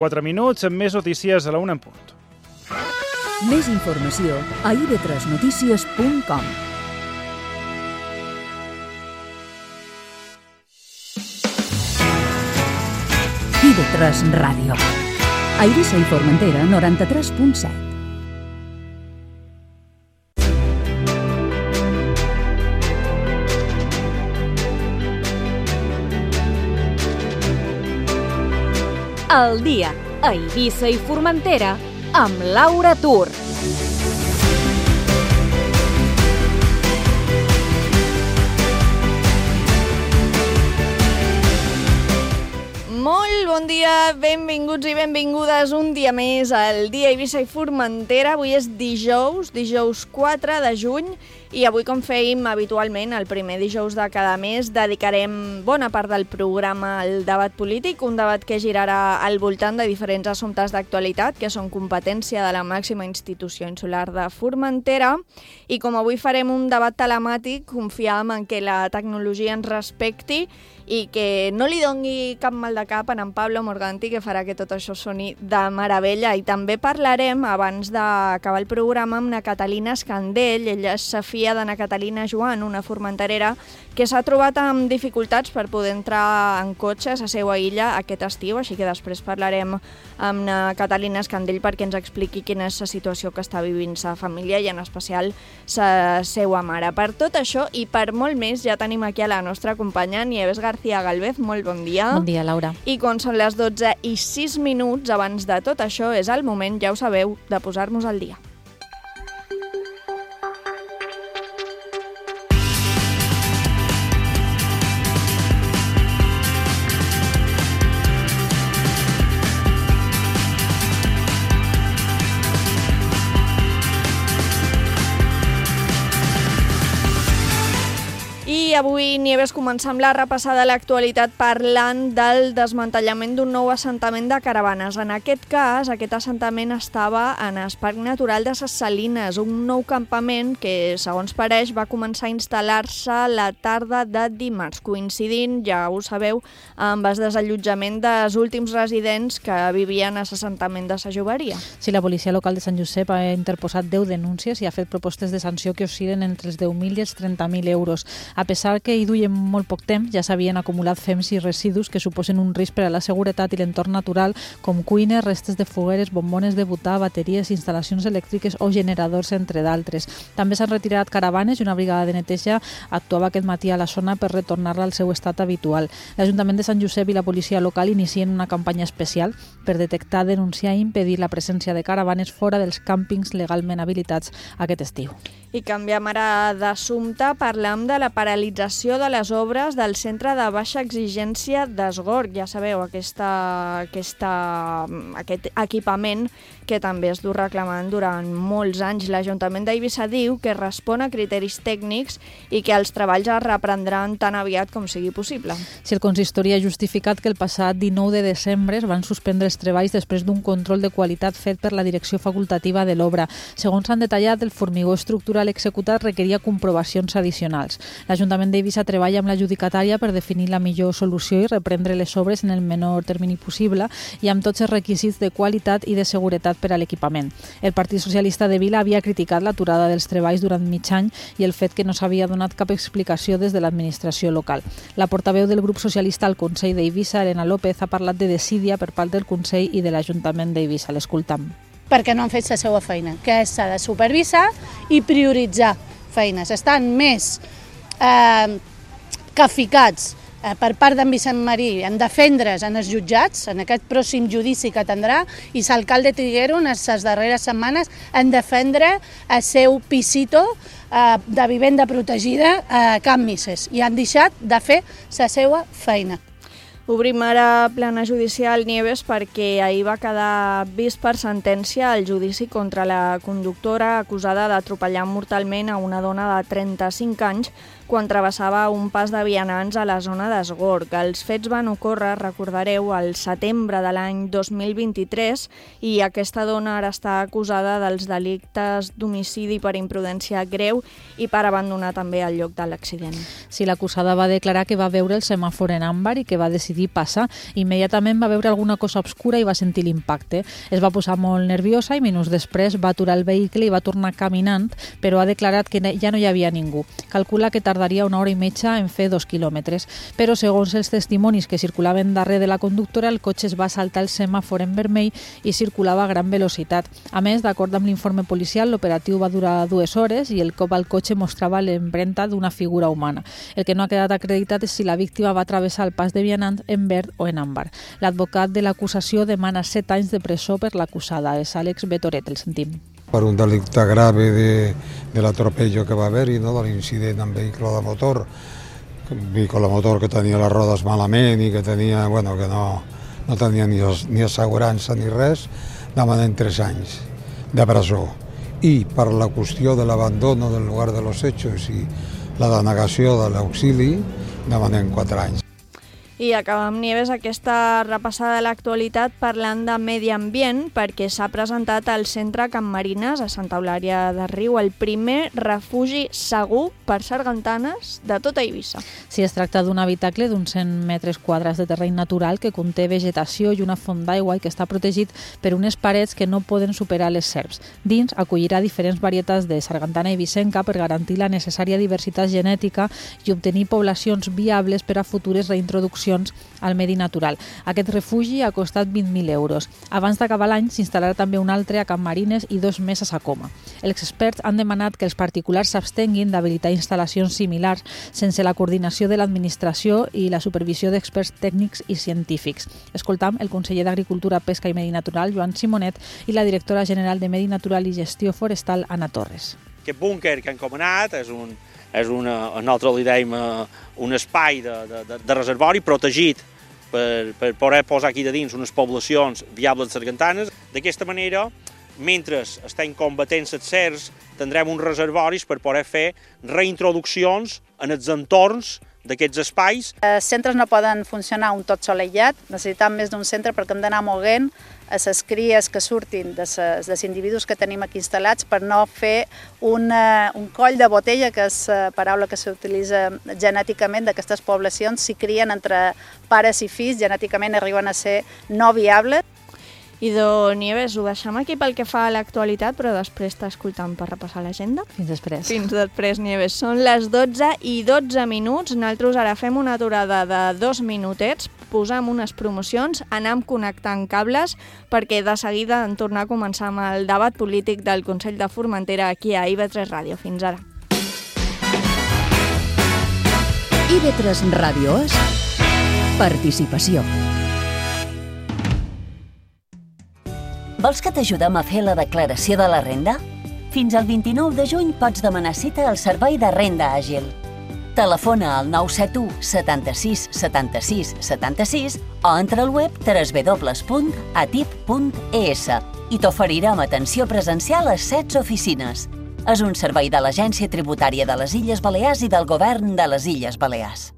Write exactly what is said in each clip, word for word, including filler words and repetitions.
quatre minuts, amb més notícies a la una en punt. Més informació a i ve tres notícies punt com. i ve tres Ràdio. A Eivissa i Formentera, noranta-tres punt set. El dia a Eivissa i Formentera amb Laura Tur. Molt bon dia, benvinguts i benvingudes un dia més al dia a Eivissa i Formentera. Avui és dijous, dijous quatre de juny, i avui, com fèiem habitualment, el primer dijous de cada mes, dedicarem bona part del programa al debat polític, un debat que girarà al voltant de diferents assumptes d'actualitat que són competència de la màxima institució insular de Formentera, i com avui farem un debat telemàtic, confiam en que la tecnologia ens respecti i que no li doni cap mal de cap a en Pablo Morganti, que farà que tot això soni de meravella. I també parlarem, abans d'acabar el programa, amb na Catalina Escandell. Ella és Safia de na Catalina Joan, una formenterera que s'ha trobat amb dificultats per poder entrar en cotxe a la seva illa aquest estiu, així que després parlarem amb na Catalina Escandell perquè ens expliqui quina és la situació que està vivint sa família i en especial sa seva mare. Per tot això i per molt més ja tenim aquí a la nostra companya Nieves García Galvez. Molt bon dia. Bon dia, Laura. I quan són les dotze i sis minuts, abans de tot això, és el moment, ja ho sabeu, de posar-nos al dia. I avui, Nieves, començam la repassada de l'actualitat parlant del desmantellament d'un nou assentament de caravanes. En aquest cas, aquest assentament estava en el Parc Natural de Ses Salines, un nou campament que, segons pareix, va començar a instal·lar-se la tarda de dimarts, coincidint, ja ho sabeu, amb el desallotjament dels últims residents que vivien a l'assentament de Sa Joveria. Sí, la policia local de Sant Josep ha interposat deu denúncies i ha fet propostes de sanció que oscil·len entre els deu mil i els trenta mil euros. A pesar que hi duien molt poc temps, ja s'havien acumulat fems i residus que suposen un risc per a la seguretat i l'entorn natural, com cuines, restes de fogueres, bombones de butà, bateries, instal·lacions elèctriques o generadors, entre d'altres. També s'han retirat caravanes i una brigada de neteja actuava aquest matí a la zona per retornar-la al seu estat habitual. L'Ajuntament de Sant Josep i la policia local inicien una campanya especial per detectar, denunciar i impedir la presència de caravanes fora dels càmpings legalment habilitats aquest estiu. I canviem ara d'assumpte, parlem de la paralització de les obres del centre de baixa exigència d'Esgorg. Ja sabeu, aquesta, aquesta, aquest equipament que també es du reclamant durant molts anys. L'Ajuntament d'Eivissa diu que respon a criteris tècnics i que els treballs es reprendran tan aviat com sigui possible. Si el consistori ha justificat que el passat dinou de desembre es van suspendre els treballs després d'un control de qualitat fet per la direcció facultativa de l'obra. Segons s'han detallat, el formigó estructural executat requeria comprovacions addicionals. L'Ajuntament d'Eivissa treballa amb l'adjudicatària per definir la millor solució i reprendre les obres en el menor termini possible i amb tots els requisits de qualitat i de seguretat per a l'equipament. El Partit Socialista de Vila havia criticat l'aturada dels treballs durant mig any i el fet que no s'havia donat cap explicació des de l'administració local. La portaveu del grup socialista al Consell d'Eivissa, Elena López, ha parlat de desídia per part del Consell i de l'Ajuntament d'Eivissa. L'escoltam. Perquè no han fet la seva feina, que s'ha de supervisar i prioritzar feines. Estan més eh, que ficats eh, per part d'en Vicent Marí en defendre's en els jutjats, en aquest pròxim judici que tindrà, i l'alcalde Triguero en les darreres setmanes en defendre el seu pisito eh, de vivenda protegida a Can Misses, i han deixat de fer la seva feina. Obrim ara plana judicial, Nieves, perquè ahir va quedar vist per sentència el judici contra la conductora acusada d'atropellar mortalment a una dona de trenta-cinc anys quan travessava un pas de vianants a la zona d'Esgorg. Els fets van ocórrer, recordareu, al setembre de l'any dos mil vint-i-tres i aquesta dona ara està acusada dels delictes d'homicidi per imprudència greu i per abandonar també el lloc de l'accident. Sí, l'acusada va declarar que va veure el semàfor en àmbar i que va decidir decidir passar. Immediatament va veure alguna cosa obscura i va sentir l'impacte. Es va posar molt nerviosa i minuts després va aturar el vehicle i va tornar caminant, però ha declarat que ja no hi havia ningú. Calcula que tardaria una hora i mitja en fer dos quilòmetres. Però segons els testimonis que circulaven darrere de la conductora, el cotxe es va saltar el semàfor en vermell i circulava a gran velocitat. A més, d'acord amb l'informe policial, l'operatiu va durar dues hores i el cop al cotxe mostrava l'empremta d'una figura humana. El que no ha quedat acreditat és si la víctima va travessar el pas de vianants en verd o en àmbar. L'advocat de l'acusació demana set anys de presó per l'acusada. És Àlex Betoret, el sentim. Per un delicte grave de, de l'atropello que va haver-hi, no? De l'incident amb vehicle de motor, vehicle de motor que tenia les rodes malament i que tenia, bueno, que no, no tenia ni, ni assegurança ni res, demanen tres anys de presó. I per la qüestió de l'abandono del lugar de los hechos i la denegació de l'auxili, demanem quatre anys. I acabem, Nieves, aquesta repassada de l'actualitat parlant de medi ambient, perquè s'ha presentat al centre Can Marines, a Santa Eulària de Riu, el primer refugi segur per sargantanes de tota Eivissa. Sí, es tracta d'un habitacle d'uns cent metres quadrats de terreny natural que conté vegetació i una font d'aigua i que està protegit per unes parets que no poden superar les serps. Dins acollirà diferents varietats de sargantana eivissenca per garantir la necessària diversitat genètica i obtenir poblacions viables per a futures reintroduccions al medi natural. Aquest refugi ha costat vint mil euros. Abans d'acabar l'any s'instal·larà també un altre a Can Marines i dos més a Sacoma. Els experts han demanat que els particulars s'abstenguin d'habilitar instal·lacions similars sense la coordinació de l'administració i la supervisió d'experts tècnics i científics. Escoltam el conseller d'Agricultura, Pesca i Medi Natural, Joan Simonet, i la directora general de Medi Natural i Gestió Forestal, Anna Torres. Aquest búnquer que han comanat és un és una, nosaltres li deim un espai de, de, de reservori protegit per, per poder posar aquí de dins unes poblacions viables de sargantanes. D'aquesta manera, mentre estem combatent les serps, tindrem uns reservoris per poder fer reintroduccions en els entorns d'aquests espais. Els centres no poden funcionar un tot sol aïllat, necessitem més d'un centre perquè hem d'anar moguent a les cries que surtin de ses, dels individus que tenim aquí instal·lats per no fer una, un coll de botella, que és la paraula que s'utilitza genèticament d'aquestes poblacions. Si crien entre pares i fills, genèticament arriben a ser no viables. Idò Nieves, ho deixem aquí pel que fa a l'actualitat, però després t'escoltam per repassar l'agenda. Fins després. Fins després, Nieves. Són les dotze i dotze minuts. Nosaltres ara fem una aturada de dos minutets, posam unes promocions, anem connectant cables, perquè de seguida en tornar a començar amb el debat polític del Consell de Formentera aquí a I V tres Ràdio. Fins ara. I V tres Ràdio és participació. Vols que t'ajudem a fer la declaració de la renda? Fins al vint-i-nou de juny pots demanar cita al Servei de Renda Àgil. Telefona al nou set u setanta-sis setanta-sis setanta-sis o entra al web w w w punt a t i p punt e s i t'oferirem atenció presencial a setze oficines. És un servei de l'Agència Tributària de les Illes Balears i del Govern de les Illes Balears.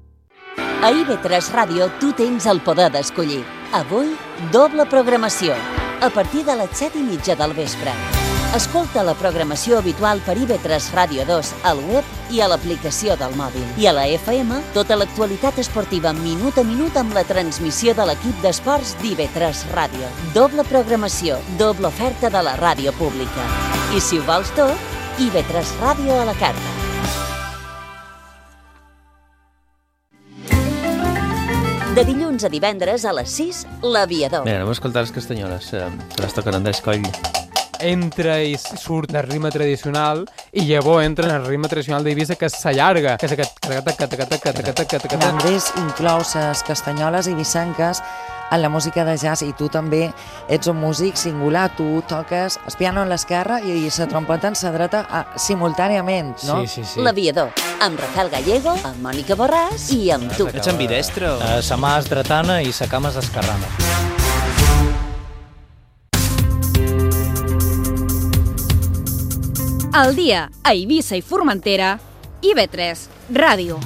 A I V tres Ràdio tu tens el poder d'escollir. Avui, doble programació. A partir de les set i mitja del vespre. Escolta la programació habitual per I V tres Ràdio dos al web i a l'aplicació del mòbil. I a la F M, tota l'actualitat esportiva minut a minut amb la transmissió de l'equip d'esports d'I V tres Ràdio. Doble programació, doble oferta de la ràdio pública. I si ho vols tot, I V tres Ràdio a la carta. De dilluns a divendres a les sis, l'Aviador. Bé, anem a escoltar les castanyoles, eh, que les toquen Andrés Coll. Entra i surt el ritme tradicional i llavors entra en el ritme tradicional d'Eivissa, que s'allarga, que és aquest... Andrés inclou les castanyoles eivissenques en la música de jazz i tu també ets un músic singular, tu toques el piano en l'esquerra i la trompeta en la dreta simultàniament, no? Sí, sí, sí. L'Aviador, amb Rafael Gallego, amb Mònica Borràs i amb tu. Ets ambidestre? Uh, sa mà és dretana i sa cama és esquerrana. Al dia, a Eivissa i Formentera, I V tres Ràdio.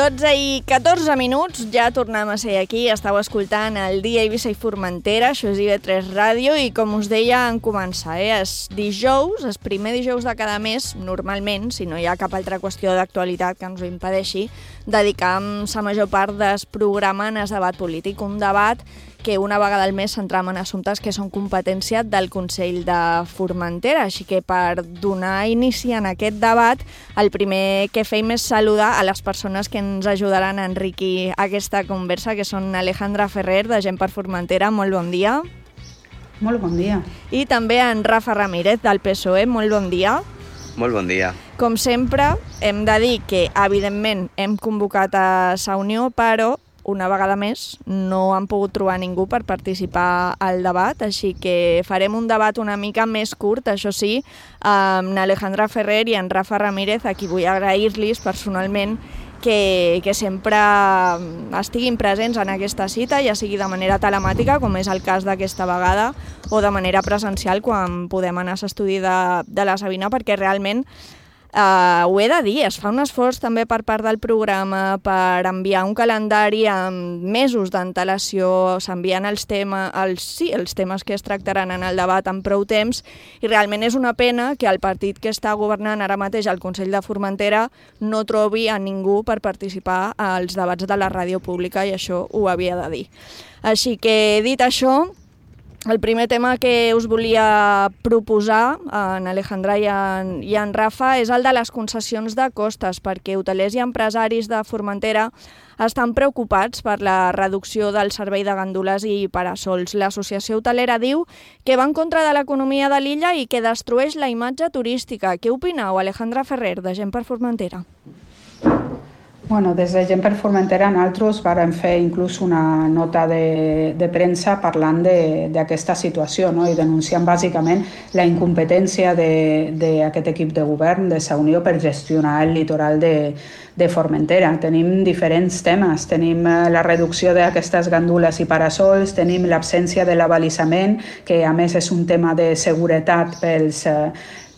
dotze i catorze minuts, ja tornem a ser aquí. Estàu escoltant el Dia Eivissa i Formentera, això és I V tres Ràdio, i com us deia en començar, eh? És dijous, és primer dijous de cada mes, normalment, si no hi ha cap altra qüestió d'actualitat que ens ho impedeixi, dedicam la major part del programa en el debat polític, un debat que una vegada al mes centram en assumptes que són competència del Consell de Formentera. Així que per donar inici en aquest debat, el primer que fem és saludar a les persones que ens ajudaran a enriquir aquesta conversa, que són Alejandra Ferrer, de Gent per Formentera. Molt bon dia. Molt bon dia. I també en Rafa Ramírez, del P S O E. Molt bon dia. Molt bon dia. Com sempre, hem de dir que, evidentment, hem convocat a la Unió, però una vegada més no han pogut trobar ningú per participar al debat, així que farem un debat una mica més curt, això sí, amb Alejandra Ferrer i en Rafa Ramírez, a qui vull agrair-los personalment que, que sempre estiguin presents en aquesta cita, ja sigui de manera telemàtica, com és el cas d'aquesta vegada, o de manera presencial, quan podem anar a l'estudi de, de la Sabina, perquè realment Uh, ho he de dir, es fa un esforç també per part del programa per enviar un calendari amb mesos d'antelació, s'envien els, tema, els, sí, els temes que es tractaran en el debat amb prou temps, i realment és una pena que el partit que està governant ara mateix al Consell de Formentera no trobi a ningú per participar als debats de la ràdio pública, i això ho havia de dir. Així que, dit això, el primer tema que us volia proposar, en Alejandra i en, i en Rafa, és el de les concessions de costes, perquè hotelers i empresaris de Formentera estan preocupats per la reducció del servei de gandules i parasols. L'associació hotelera diu que va en contra de l'economia de l'illa i que destrueix la imatge turística. Què opineu, Alejandra Ferrer, de Gent per Formentera? Bueno, des de Gent per Formentera nosaltres vàrem fer inclús una nota de, de premsa parlant d'aquesta situació, no? I denunciant bàsicament la incompetència d'aquest equip de govern de la Unió per gestionar el litoral de, de Formentera. Tenim diferents temes, tenim la reducció d'aquestes gandules i parasols, tenim l'absència de l'abalisament, que a més és un tema de seguretat pels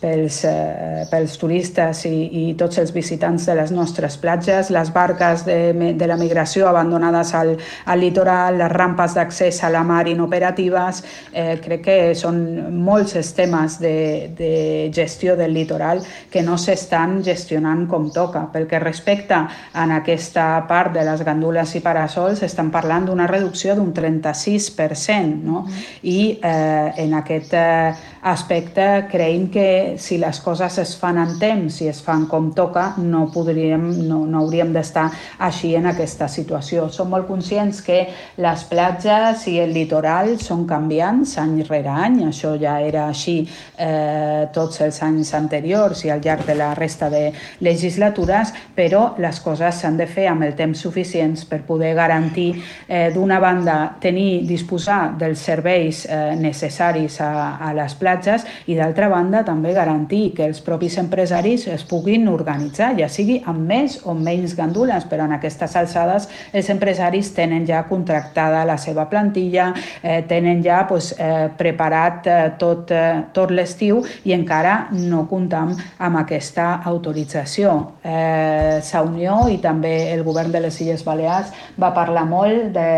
Pels, eh, pels turistes i, i tots els visitants de les nostres platges, les barques de, de la migració abandonades al, al litoral, les rampes d'accés a la mar inoperatives. Eh, crec que són molts els temes de, de gestió del litoral que no s'estan gestionant com toca. Pel que respecta a aquesta part de les gandules i parasols, estan parlant d'una reducció d'un trenta-sis per cent, no? I eh, en aquest eh, aspecte creiem que si les coses es fan en temps i es fan com toca, no, podríem, no, no hauríem d'estar així en aquesta situació. Som molt conscients que les platges i el litoral són canviants any rere any, això ja era així eh, tots els anys anteriors i al llarg de la resta de legislatures, però les coses s'han de fer amb el temps suficients per poder garantir, eh, d'una banda, tenir, disposar dels serveis eh, necessaris a, a les platges i d'altra banda també garantir que els propis empresaris es puguin organitzar, ja sigui amb més o menys gandules, però en aquestes alçades els empresaris tenen ja contractada la seva plantilla, eh, tenen ja pues, eh, preparat eh, tot, eh, tot l'estiu i encara no comptam amb aquesta autorització. Eh, la Unió i també el govern de les Illes Balears va parlar molt de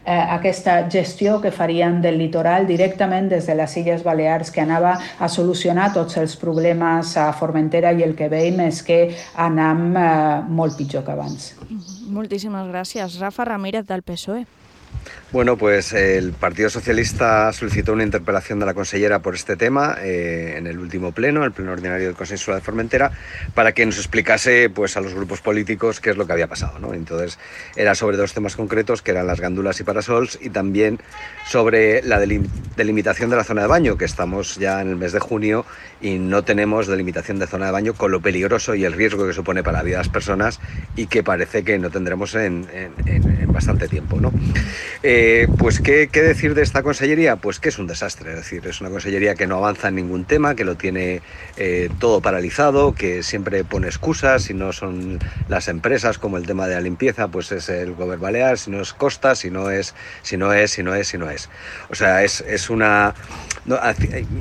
Eh, aquesta gestió que farien del litoral directament des de les Illes Balears, que anava a solucionar tots els problemes a Formentera, i el que veiem és que anem eh, molt pitjor que abans. Moltíssimes gràcies. Rafa Ramírez, del P S O E. Bueno, pues el Partido Socialista solicitó una interpelación de la consellera por este tema eh, en el último pleno, el pleno ordinario del Consejo Insular de Formentera, para que nos explicase pues, a los grupos políticos qué es lo que había pasado, ¿no? Entonces era sobre dos temas concretos, que eran las gandulas y parasols, y también sobre la delim- delimitación de la zona de baño, que estamos ya en el mes de junio y no tenemos delimitación de zona de baño, con lo peligroso y el riesgo que supone para la vida de las personas y que parece que no tendremos en, en, en, en bastante tiempo, ¿no? Eh, pues, ¿qué, ¿qué decir de esta consellería? Pues que es un desastre, es decir, es una consellería que no avanza en ningún tema, que lo tiene eh, todo paralizado, que siempre pone excusas, si no son las empresas, como el tema de la limpieza, pues es el Govern Balear, si no es Costa, si no es, si no es, si no es, si no es. O sea, es, es una... No,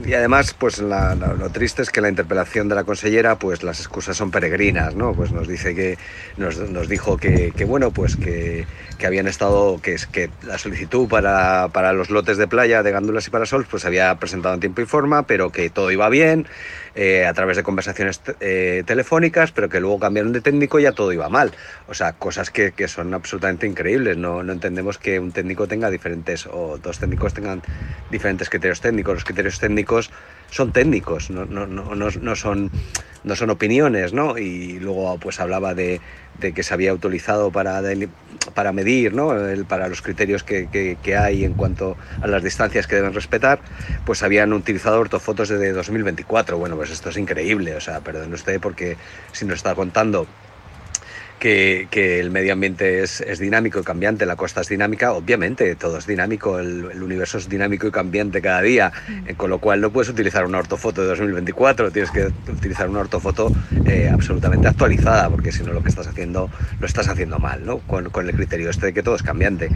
y además, pues la, la, lo triste es que la interpelación de la consellera, pues las excusas son peregrinas, ¿no? Pues nos dice que, nos, nos dijo que, que bueno, pues que, que habían estado, que, que la solicitud para, para los lotes de playa de Gándulas y Parasols, pues se había presentado en tiempo y forma, pero que todo iba bien, eh, a través de conversaciones eh, telefónicas, pero que luego cambiaron de técnico y ya todo iba mal. O sea, cosas que, que son absolutamente increíbles. No, no entendemos que un técnico tenga diferentes, o dos técnicos tengan diferentes criterios técnicos. Los criterios técnicos son técnicos, no, no, no, no, no, son, no son opiniones, ¿no? Y luego pues hablaba de, de que se había utilizado para, para medir, ¿no? El, para los criterios que, que, que hay en cuanto a las distancias que deben respetar, pues habían utilizado ortofotos de dos mil veinticuatro. Bueno, pues esto es increíble, o sea, perdone usted, porque si nos está contando Que, que el medio ambiente es, es dinámico y cambiante, la costa es dinámica, obviamente todo es dinámico, el, el universo es dinámico y cambiante cada día, eh, con lo cual no puedes utilizar una ortofoto de dos mil veinticuatro, tienes que utilizar una ortofoto eh, absolutamente actualizada, porque si no lo que estás haciendo lo estás haciendo mal, ¿no? Con, con el criterio este de que todo es cambiante.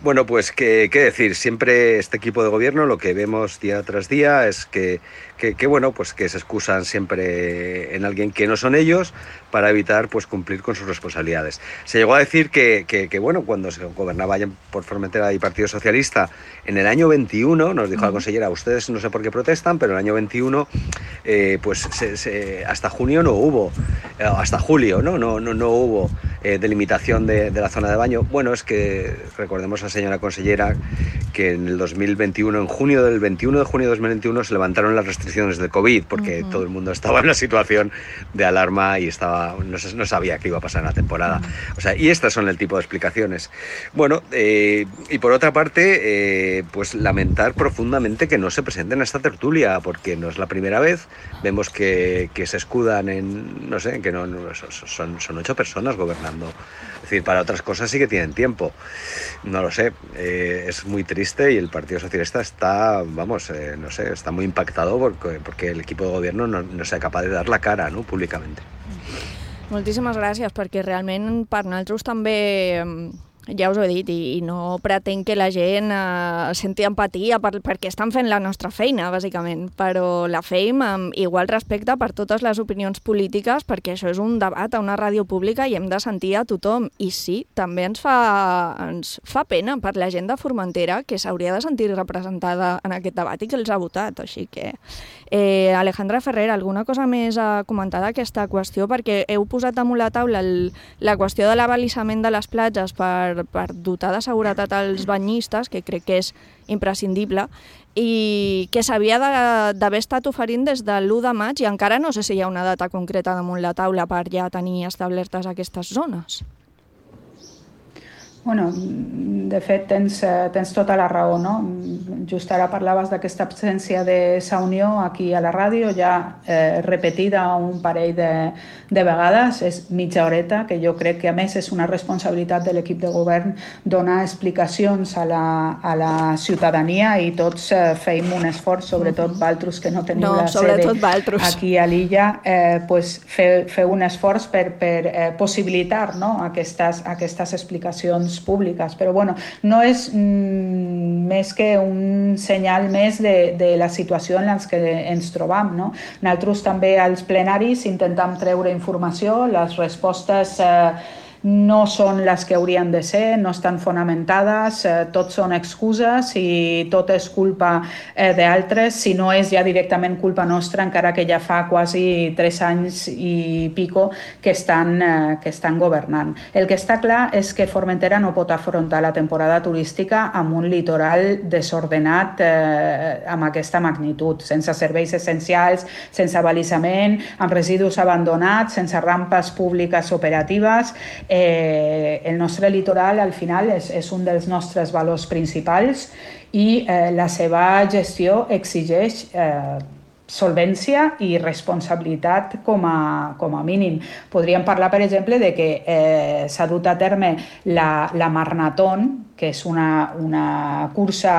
Bueno, pues qué, qué decir, siempre este equipo de gobierno lo que vemos día tras día es que, que, que bueno, pues que se excusan siempre en alguien que no son ellos para evitar pues cumplir con sus responsabilidades. Se llegó a decir que, que, que bueno, cuando se gobernaba allá por Formentera y Partido Socialista, en el año veintiuno, nos dijo la consellera, ustedes no sé por qué protestan, pero en el año veintiuno, eh, pues se, se, hasta junio no hubo, eh, hasta julio, ¿no? No, no, no hubo eh, delimitación de, de la zona de baño. Bueno, es que recordemos a la señora consellera que en el dos mil veintiuno, en junio del veintiuno de junio de dos mil veintiuno, se levantaron las restricciones del COVID, porque uh-huh. todo el mundo estaba en una situación de alarma y estaba No, no sabía qué iba a pasar en la temporada. O sea, y estas son el tipo de explicaciones. Bueno, eh, y por otra parte, eh, pues lamentar profundamente que no se presenten a esta tertulia, porque no es la primera vez. Vemos que, que se escudan en, no sé, que no, no son, son ocho personas gobernando. Es decir, para otras cosas sí que tienen tiempo. No lo sé, eh, es muy triste y el Partido Socialista está, vamos, eh, no sé, está muy impactado porque, porque el equipo de gobierno no, no sea capaz de dar la cara, ¿no?, públicamente. Moltíssimes gràcies, perquè realment per nosaltres també, ja us ho he dit, i, i no pretenc que la gent eh, senti empatia per, perquè estan fent la nostra feina, bàsicament, però la fem amb igual respecte per totes les opinions polítiques, perquè això és un debat a una ràdio pública i hem de sentir a tothom. I sí, també ens fa, ens fa pena per la gent de Formentera, que s'hauria de sentir representada en aquest debat i que els ha votat. Així que, eh, Alejandra Ferrer, alguna cosa més a comentar d'aquesta qüestió? Perquè heu posat damunt la taula el, la qüestió de l'abalisament de les platges per per dotar de seguretat als banyistes, que crec que és imprescindible, i que s'havia d'haver estat oferint des de l'u de maig i encara no sé si hi ha una data concreta damunt la taula per ja tenir establertes aquestes zones. Bueno, de fet, tens, tens tota la raó, no? Just ara parlaves d'aquesta absència de sa unió aquí a la ràdio, ja eh, repetida un parell de, de vegades, és mitja horeta, que jo crec que a més és una responsabilitat de l'equip de govern donar explicacions a la, a la ciutadania i tots eh, feim un esforç, sobretot Valtros, que no teniu no, la sede Valtros. aquí a l'illa, eh, pues fer, fer un esforç per, per eh, possibilitar, no?, aquestes, aquestes explicacions públiques, però bueno, no és mm, més que un senyal més de, de la situació en la que ens trobam, no? Nosaltres també als plenaris intentem treure informació, les respostes eh, no són les que haurien de ser, no estan fonamentades, eh, tot són excuses i tot és culpa eh, d'altres, si no és ja directament culpa nostra, encara que ja fa quasi tres anys i pico que estan, eh, que estan governant. El que està clar és que Formentera no pot afrontar la temporada turística amb un litoral desordenat eh, amb aquesta magnitud, sense serveis essencials, sense abalisament, amb residus abandonats, sense rampes públiques operatives. Eh, el nostre litoral al final és, és un dels nostres valors principals i eh, la seva gestió exigeix eh, solvència i responsabilitat com a, com a mínim. Podríem parlar, per exemple, de que eh, s'ha dut a terme la, la Marnaton, que és una, una cursa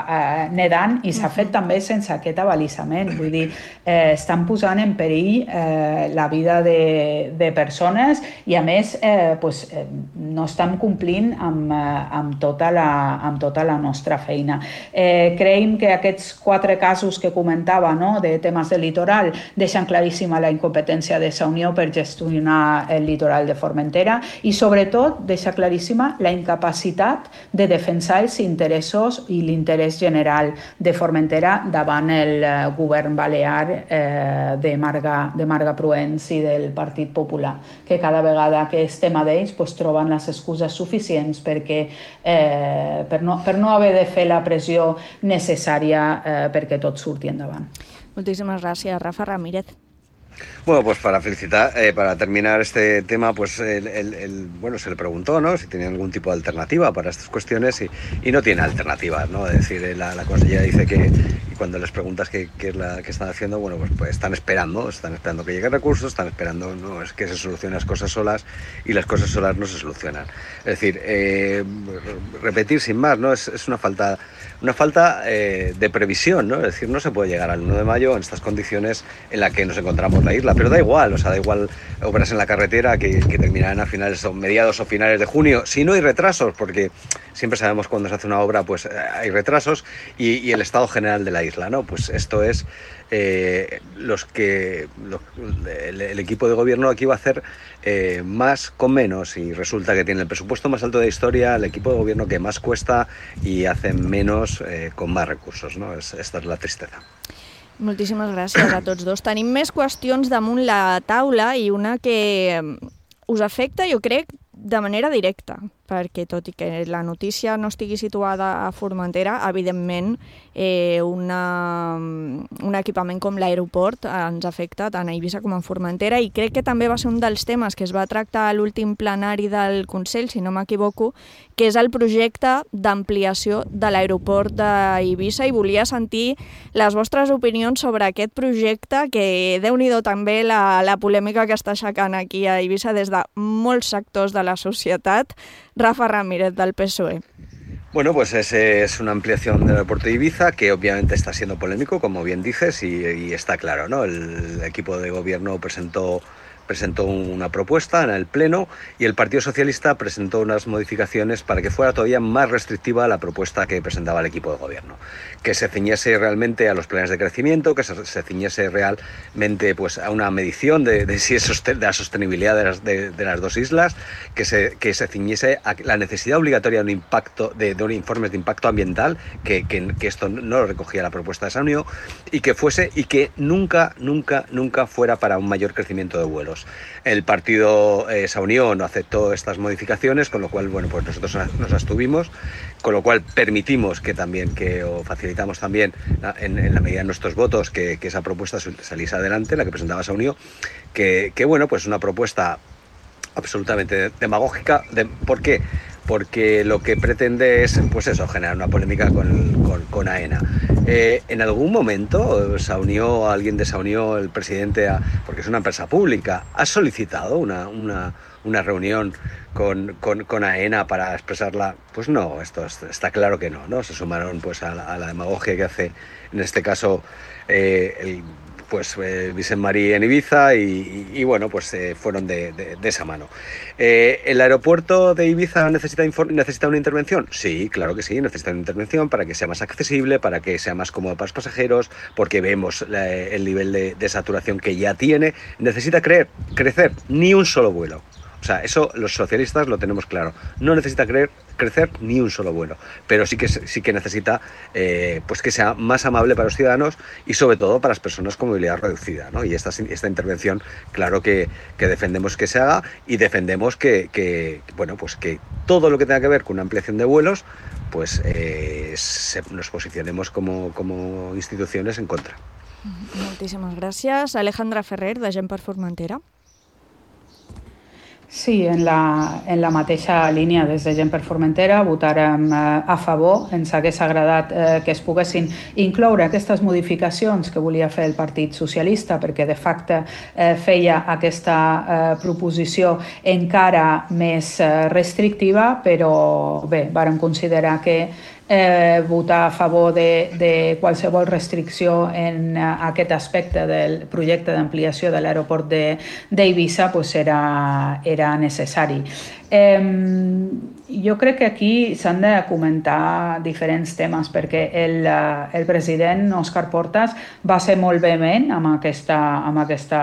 eh, nedant i s'ha fet també sense aquest avalisament. Vull dir, eh, estan posant en perill eh, la vida de, de persones i, a més, eh, pues, eh, no estan complint amb, eh, amb, tota la, amb tota la nostra feina. Eh, creiem que aquests quatre casos que comentava, no?, de temes del litoral, deixen claríssima la incompetència de Sa Unió per gestionar el litoral de Formentera i, sobretot, deixa claríssima la incapacitat de defensar els interessos i l'interès general de Formentera davant el eh, govern balear eh, de, Marga, de Marga Proens i del Partit Popular, que cada vegada que és tema d'ells pues, troben les excuses suficients perquè, eh, per, no, per no haver de fer la pressió necessària eh, perquè tot surti endavant. Moltíssimes gràcies, Rafa Ramírez. Bueno, pues para felicitar, eh, para terminar este tema, pues el, el, el, bueno, se le preguntó, ¿no?, si tenía algún tipo de alternativa para estas cuestiones y, y no tiene alternativas, ¿no? Es decir, la, la consellera dice que y cuando les preguntas qué, qué es la que están haciendo, bueno, pues, pues están esperando, están esperando que lleguen recursos, están esperando, no es que se solucionen las cosas solas y las cosas solas no se solucionan. Es decir, eh, repetir sin más, ¿no? Es, es una falta, una falta eh, de previsión, ¿no? Es decir, no se puede llegar al uno de mayo en estas condiciones en las que nos encontramos la isla, pero da igual, o sea, da igual obras en la carretera que, que terminarán a finales o mediados o finales de junio, si no hay retrasos, porque siempre sabemos cuando se hace una obra, pues hay retrasos, y, y el estado general de la isla, ¿no? Pues esto es eh, los que lo, el, el equipo de gobierno aquí va a hacer eh, más con menos, y resulta que tiene el presupuesto más alto de la historia, el equipo de gobierno que más cuesta y hace menos eh, con más recursos, ¿no? Es, esta es la tristeza. Moltíssimes gràcies a tots dos. Tenim més qüestions damunt la taula i una que us afecta, jo crec, de manera directa, perquè tot i que la notícia no estigui situada a Formentera, evidentment eh, una, un equipament com l'aeroport ens afecta tant a Eivissa com a Formentera, i crec que també va ser un dels temes que es va tractar a l'últim plenari del Consell, si no m'equivoco, que és el projecte d'ampliació de l'aeroport d'Eivissa, i volia sentir les vostres opinions sobre aquest projecte, que déu-n'hi-do també la, la polèmica que està aixecant aquí a Eivissa des de molts sectors de la societat. Rafa Ramírez, del P S O E. Bueno, pues es, es una ampliación del aeropuerto de Ibiza que obviamente está siendo polémico, como bien dices, y, y está claro, ¿no? El equipo de gobierno presentó presentó una propuesta en el Pleno y el Partido Socialista presentó unas modificaciones para que fuera todavía más restrictiva la propuesta que presentaba el equipo de gobierno, que se ciñese realmente a los planes de crecimiento, que se, se ciñese realmente pues, a una medición de, de, si es sosten- de la sostenibilidad de las, de, de las dos islas, que se, que se ciñese a la necesidad obligatoria de un impacto de, de un informe de impacto ambiental, que, que, que esto no lo recogía la propuesta de Sa Unió, y que fuese y que nunca, nunca, nunca fuera para un mayor crecimiento de vuelos. El partido eh, Sa Unió no aceptó estas modificaciones, con lo cual, bueno, pues nosotros nos abstuvimos, con lo cual permitimos que también, que o facilitamos también, en, en la medida de nuestros votos, que, que esa propuesta saliese adelante, la que presentaba Sa Unió, que, que bueno, pues una propuesta absolutamente demagógica. De, ¿Por qué? Porque lo que pretende es, pues eso, generar una polémica con, con, con AENA. Eh, en algún momento Sa Unió, alguien de Sa Unió, el presidente, ha, porque es una empresa pública, ha solicitado una, una, una reunión con, con, con AENA para expresarla. Pues no, esto está claro que no, ¿no? Se sumaron pues a la, a la demagogia que hace, en este caso, eh, el pues eh, Vicent Marí en Ibiza y, y, y bueno, pues eh, fueron de, de, de esa mano. Eh, ¿El aeropuerto de Ibiza necesita, necesita una intervención? Sí, claro que sí, necesita una intervención para que sea más accesible, para que sea más cómodo para los pasajeros, porque vemos la, el nivel de, de saturación que ya tiene. ¿Necesita creer, crecer? Ni un solo vuelo. O sea, eso los socialistas lo tenemos claro. No necesita creer, crecer ni un solo vuelo, pero sí que, sí que necesita eh, pues que sea más amable para los ciudadanos y sobre todo para las personas con movilidad reducida, ¿no? Y esta, esta intervención, claro que, que defendemos que se haga y defendemos que, que, bueno, pues que todo lo que tenga que ver con una ampliación de vuelos, pues eh, se, nos posicionemos como, como instituciones en contra. Moltíssimes gràcies. Alejandra Ferrer, de Gent per Formentera. Sí, en la, en la mateixa línia des de Gent per Formentera votarem eh, a favor. Ens hagués agradat eh, que es poguessin incloure aquestes modificacions que volia fer el Partit Socialista, perquè de facto eh, feia aquesta eh, proposició encara més eh, restrictiva, però bé, vàrem considerar que Eh, votar a favor de, de qualsevol restricció en uh, aquest aspecte del projecte d'ampliació de l'aeroport d'Eivissa pues era, era necessari. Eh, jo crec que aquí s'han de comentar diferents temes perquè el, el president Òscar Portas va ser molt vehement amb aquesta, amb aquesta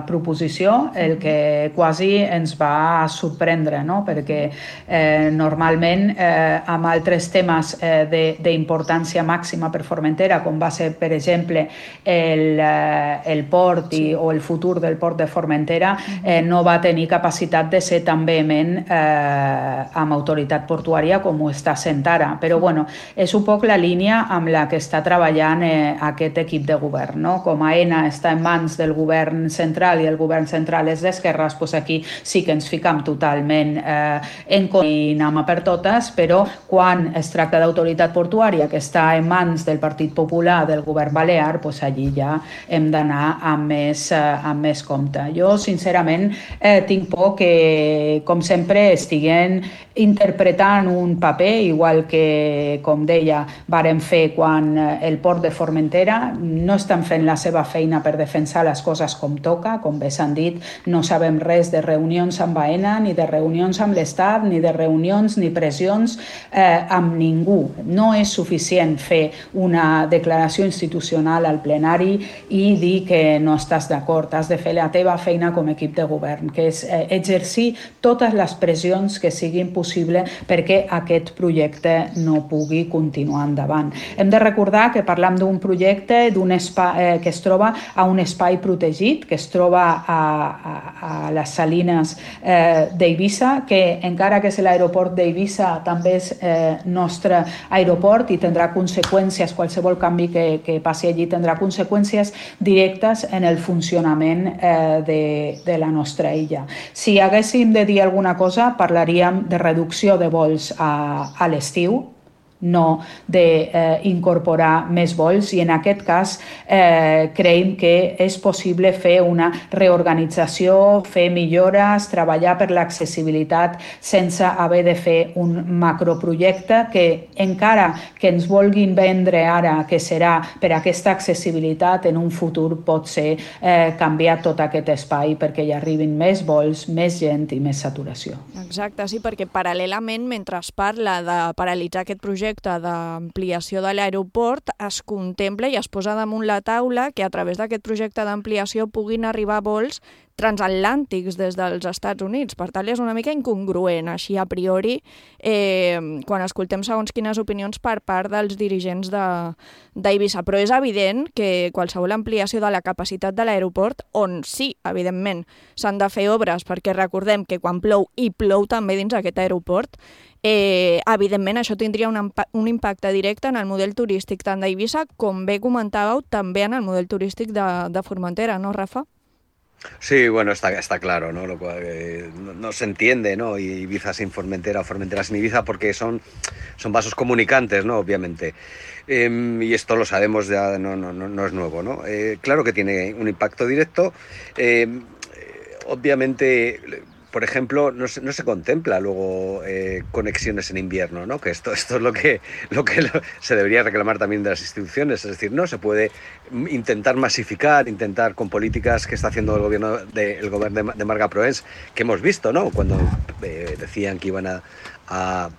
proposició, el que quasi ens va sorprendre, no? Perquè eh, normalment eh, amb altres temes eh, d'importància màxima per Formentera, com va ser, per exemple, el, eh, el port i, o el futur del port de Formentera, eh, no va tenir capacitat de ser tan vehement Eh, amb autoritat portuària com ho està sent ara. Però bueno, és un poc la línia amb la que està treballant eh, aquest equip de govern, no? Com AENA està en mans del govern central i el govern central és d'esquerres, doncs aquí sí que ens ficam totalment eh, en contra i anem a per totes, però quan es tracta d'autoritat portuària que està en mans del Partit Popular, del govern balear, doncs allí ja hem d'anar amb més, eh, amb més compte. Jo, sincerament, eh, tinc por que, com sempre, estiguen interpretant un paper, igual que, com deia, varen fer quan el port de Formentera, no estan fent la seva feina per defensar les coses com toca, com bé s'han dit, no sabem res de reunions amb AENA, ni de reunions amb l'Estat, ni de reunions ni pressions eh, amb ningú. No és suficient fer una declaració institucional al plenari i dir que no estàs d'acord, has de fer la teva feina com a equip de govern, que és eh, exercir totes les pressions que siguin possibles perquè aquest projecte no pugui continuar endavant. Hem de recordar que parlam d'un projecte d'un espai, eh, que es troba a un espai protegit, que es troba a, a, a les salines eh, d'Eivissa, que encara que és l'aeroport d'Eivissa també és eh, nostre aeroport i tindrà conseqüències, qualsevol canvi que, que passi allí tindrà conseqüències directes en el funcionament eh, de, de la nostra illa. Si haguéssim de dir alguna cosa, parlaríem de reducció de vols a, a l'estiu, no d'incorporar eh, més vols, i en aquest cas eh, creiem que és possible fer una reorganització, fer millores, treballar per l'accessibilitat sense haver de fer un macroprojecte que encara que ens vulguin vendre ara que serà per aquesta accessibilitat, en un futur pot ser eh, canviar tot aquest espai perquè hi arribin més vols, més gent i més saturació. Exacte, sí, perquè paral·lelament, mentre es parla de paralitzar aquest projecte d'ampliació de l'aeroport, es contempla i es posa damunt la taula que a través d'aquest projecte d'ampliació puguin arribar vols transatlàntics des dels Estats Units. Per tant, és una mica incongruent, així a priori, eh, quan escoltem segons quines opinions per part dels dirigents d'Eivissa. Però és evident que qualsevol ampliació de la capacitat de l'aeroport, on sí, evidentment, s'han de fer obres, perquè recordem que quan plou, i plou també dins aquest aeroport, Eh, evidentment això tindria un, un impacte directe en el model turístic tant d'Eivissa com bé comentàveu també en el model turístic de, de Formentera, ¿no, Rafa? Sí, bueno, está, está claro, ¿no? Lo cual, eh, no, no se entiende, ¿no? Ibiza sin Formentera o Formentera sin Ibiza porque son, son vasos comunicantes, ¿no? Obviamente. Eh, y esto lo sabemos ya, no, no, no es nuevo, ¿no? Eh, claro que tiene un impacto directo. Eh, obviamente... Por ejemplo, no se, no se contempla luego eh, conexiones en invierno, ¿no? Que esto, esto es lo que, lo que lo, se debería reclamar también de las instituciones. Es decir, no se puede intentar masificar, intentar con políticas que está haciendo el gobierno de, el gobierno de, de Marga Proens, que hemos visto, ¿no? Cuando eh, decían que iban a, a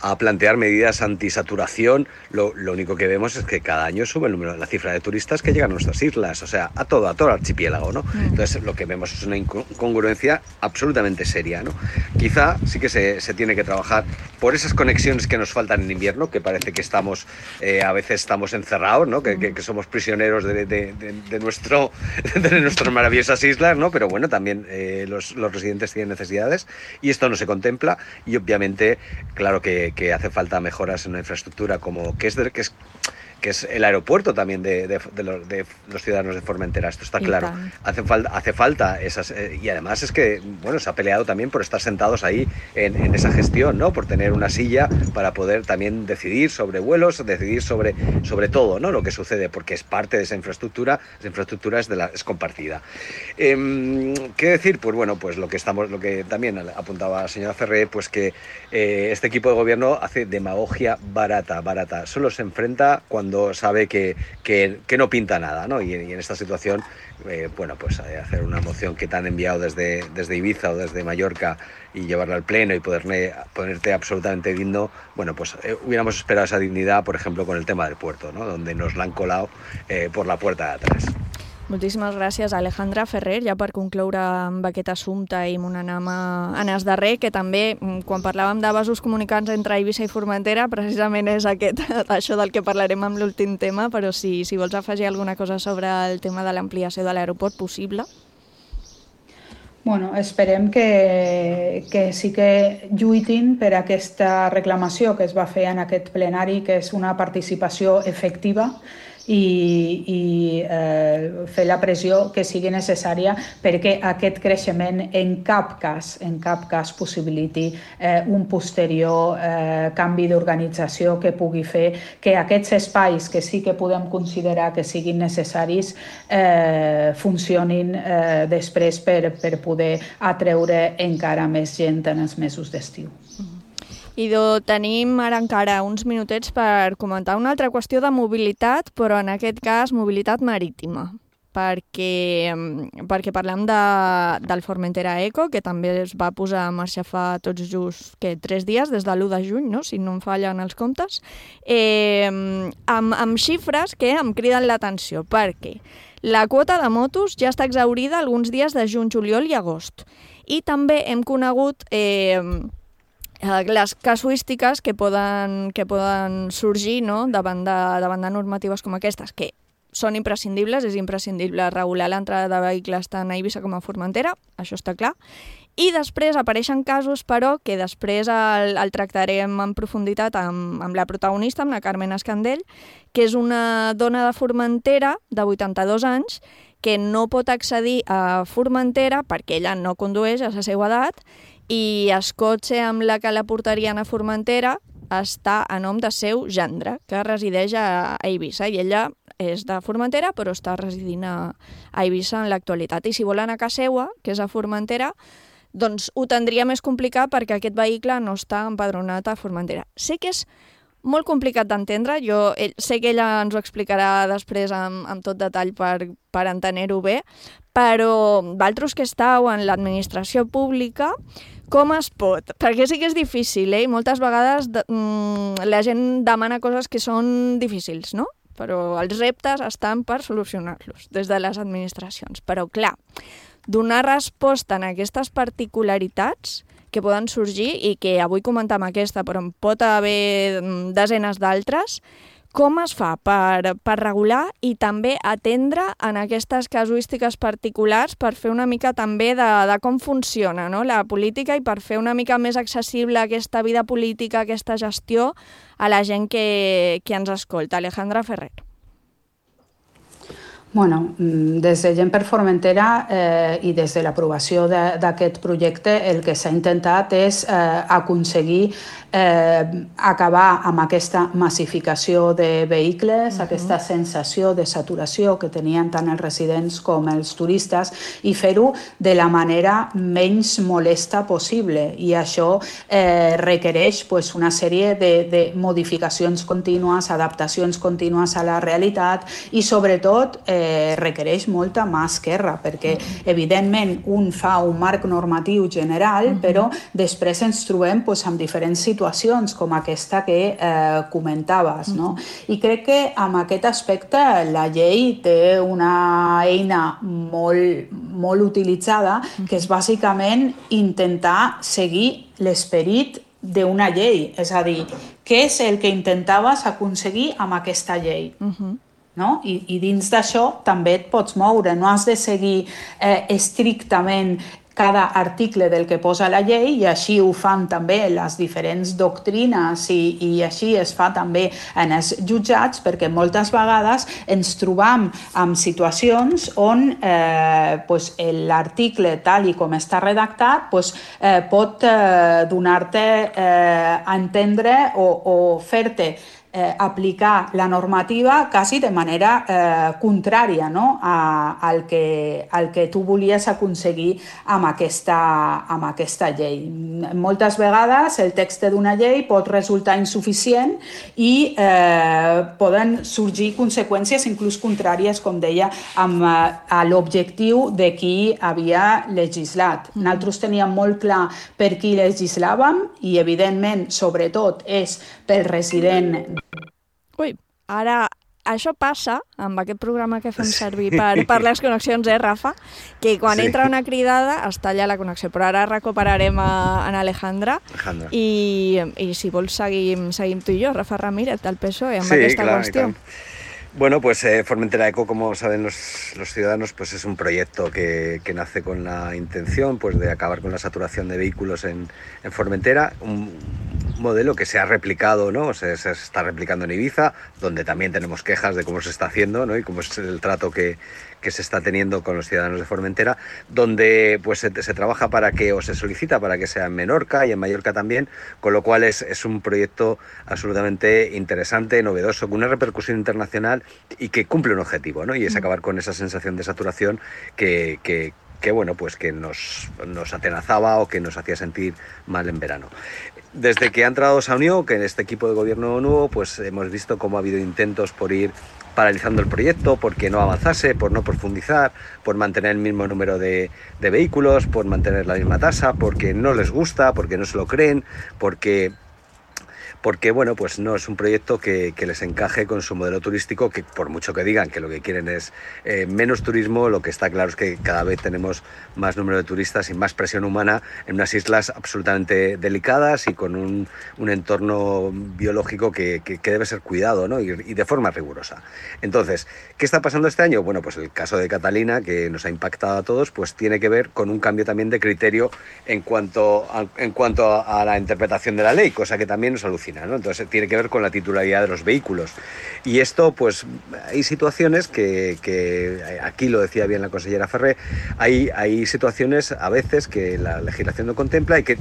a plantear medidas antisaturación, lo, lo único que vemos es que cada año sube el número, la cifra de turistas que llegan a nuestras islas, o sea, a todo, a todo el archipiélago, ¿no? Entonces lo que vemos es una incongruencia absolutamente seria, ¿no? Quizá sí que se, se tiene que trabajar por esas conexiones que nos faltan en invierno, que parece que estamos, eh, a veces estamos encerrados, ¿no? Que, que, que somos prisioneros de, de, de, de, nuestro, de nuestras maravillosas islas, ¿no? Pero bueno, también eh, los, los residentes tienen necesidades y esto no se contempla y obviamente, claro que que hace falta mejoras en la infraestructura, como que es, de, que es que es el aeropuerto también de, de, de, los, de los ciudadanos de Formentera. Esto está claro. Hace falta, hace falta esas... Eh, y además es que, bueno, se ha peleado también por estar sentados ahí en, en esa gestión, ¿no? Por tener una silla para poder también decidir sobre vuelos, decidir sobre, sobre todo, ¿no? Lo que sucede, porque es parte de esa infraestructura, esa infraestructura es, de la, es compartida. Eh, ¿Qué decir? Pues bueno, pues lo que estamos, lo que también apuntaba la señora Ferrer, pues que eh, este equipo de gobierno hace demagogia barata, barata. Solo se enfrenta cuando sabe que, que, que no pinta nada, ¿no? Y, y en esta situación, eh, bueno, pues eh, hacer una moción que te han enviado desde, desde Ibiza o desde Mallorca y llevarla al pleno y poderle, ponerte absolutamente digno, bueno, pues eh, hubiéramos esperado esa dignidad, por ejemplo, con el tema del puerto, ¿no? Donde nos la han colado eh, por la puerta de atrás. Moltíssimes gràcies, Alejandra Ferrer, ja per concloure amb aquest assumpte i m'ho anem a Anas darrer, que també, quan parlàvem de vasos comunicants entre Eivissa i Formentera, precisament és aquest, això del que parlarem amb l'últim tema, però si, si vols afegir alguna cosa sobre el tema de l'ampliació de l'aeroport possible. Bueno, esperem que, que sí que lluitin per aquesta reclamació que es va fer en aquest plenari, que és una participació efectiva, i, i eh, fer la pressió que sigui necessària perquè aquest creixement en cap cas, en cap cas possibiliti eh, un posterior eh, canvi d'organització que pugui fer que aquests espais que sí que podem considerar que siguin necessaris eh, funcionin eh, després per, per poder atreure encara més gent en els mesos d'estiu. Idò, tenim ara encara uns minutets per comentar una altra qüestió de mobilitat, però en aquest cas mobilitat marítima, perquè, perquè parlem de, del Formentera Eco, que també es va posar en marxa fa tots just que, tres dies, des de l'u de juny, no? Si no em fallen els comptes, eh, amb, amb xifres que em criden l'atenció, perquè la quota de motos ja està exhaurida alguns dies de juny, juliol i agost. I també hem conegut Eh, les casuístiques que poden, que poden sorgir, no? davant, de, davant de normatives com aquestes, que són imprescindibles, és imprescindible regular l'entrada de vehicles tant a Eivissa com a Formentera, això està clar, i després apareixen casos, però, que després el, el tractarem en profunditat amb, amb la protagonista, amb la Carmen Escandell, que és una dona de Formentera de vuitanta-dos anys, que no pot accedir a Formentera perquè ella no condueix a la seva edat, i el cotxe amb la que la portarien a Formentera està a nom de seu gendre, que resideix a Eivissa, i ella és de Formentera, però està residint a Eivissa en l'actualitat. I si vol anar a casa seva, que és a Formentera, doncs ho tindria més complicat perquè aquest vehicle no està empadronat a Formentera. Sé que és molt complicat d'entendre, jo ell, sé que ella ens ho explicarà després amb, amb tot detall per, per entenir-ho bé, però vosaltres que esteu en l'administració pública, com es pot? Perquè sí que és difícil, eh? I moltes vegades de, mm, la gent demana coses que són difícils, no? Però els reptes estan per solucionar-los des de les administracions. Però, clar, donar resposta en aquestes particularitats que poden sorgir i que avui comentam aquesta, però en pot haver desenes d'altres, com es fa per, per regular i també atendre en aquestes casuístiques particulars per fer una mica també de, de com funciona, no? La política, i per fer una mica més accessible aquesta vida política, aquesta gestió a la gent que, que ens escolta. Alejandra Ferrer. Bueno, des de Gent per Formentera eh, i des de l'aprovació d'aquest projecte el que s'ha intentat és eh, aconseguir eh, acabar amb aquesta massificació de vehicles, uh-huh. aquesta sensació de saturació que tenien tant els residents com els turistes i fer-ho de la manera menys molesta possible. I això eh, requereix pues, una sèrie de, de modificacions contínues, adaptacions contínues a la realitat i sobretot eh, requereix molta mà esquerra, perquè evidentment un fa un marc normatiu general, uh-huh. però després ens trobem pues, amb diferents situacions com aquesta que eh, comentaves. No? I crec que amb aquest aspecte la llei té una eina molt, molt utilitzada, que és bàsicament intentar seguir l'esperit d'una llei, és a dir, què és el que intentaves aconseguir amb aquesta llei? Uh-huh. No? I, i dins d'això també et pots moure, no has de seguir eh, estrictament cada article del que posa la llei, i així ho fan també les diferents doctrines i, i així es fa també en els jutjats, perquè moltes vegades ens trobam en situacions on eh, pues, l'article tal i com està redactat pues, eh, pot eh, donar-te eh, a entendre o, o fer-te Eh, aplicar la normativa quasi de manera eh, contrària, no? a, al, que, al que tu volies aconseguir amb aquesta, amb aquesta llei. Moltes vegades el text d'una llei pot resultar insuficient i eh, poden sorgir conseqüències inclús contràries, com deia, amb eh, l'objectiu de qui havia legislat. Nosaltres teníem molt clar per qui legislàvem i, evidentment, sobretot, és pel resident. Ui, ara això passa amb aquest programa que fem servir per, per les connexions, eh, Rafa? Que quan sí. entra una cridada es talla la connexió, però ara recuperarem a, a Alejandra, Alejandra. I, i si vols seguim, seguim tu i jo, Rafa Ramírez, del P S O E, amb sí, aquesta clar, qüestió. Bueno, pues eh, Formentera Eco, como saben los, los ciudadanos, pues es un proyecto que, que nace con la intención pues, de acabar con la saturación de vehículos en, en Formentera, un modelo que se ha replicado, ¿no? Se, se está replicando en Ibiza, donde también tenemos quejas de cómo se está haciendo, ¿no? Y cómo es el trato que, que se está teniendo con los ciudadanos de Formentera, donde pues se, se trabaja para que, o se solicita para que sea en Menorca y en Mallorca también, con lo cual es, es un proyecto absolutamente interesante, novedoso, con una repercusión internacional y que cumple un objetivo, ¿no? Y es acabar con esa sensación de saturación que, que, que bueno, pues que nos, nos atenazaba o que nos hacía sentir mal en verano. Desde que ha entrado Saunió, que en este equipo de gobierno nuevo, pues hemos visto cómo ha habido intentos por ir paralizando el proyecto, porque no avanzase, por no profundizar, por mantener el mismo número de, de vehículos, por mantener la misma tasa, porque no les gusta, porque no se lo creen, porque... porque bueno, pues no es un proyecto que, que les encaje con su modelo turístico, que por mucho que digan que lo que quieren es eh, menos turismo, lo que está claro es que cada vez tenemos más número de turistas y más presión humana en unas islas absolutamente delicadas y con un, un entorno biológico que, que, que debe ser cuidado, ¿no? y, y de forma rigurosa. Entonces, ¿qué está pasando este año? Bueno, pues el caso de Catalina, que nos ha impactado a todos, pues tiene que ver con un cambio también de criterio en cuanto a, en cuanto a la interpretación de la ley, cosa que también nos alucina, ¿no? Entonces tiene que ver con la titularidad de los vehículos. Y esto, pues hay situaciones que, que aquí lo decía bien la consellera Ferrer, hay, hay situaciones a veces que la legislación no contempla y que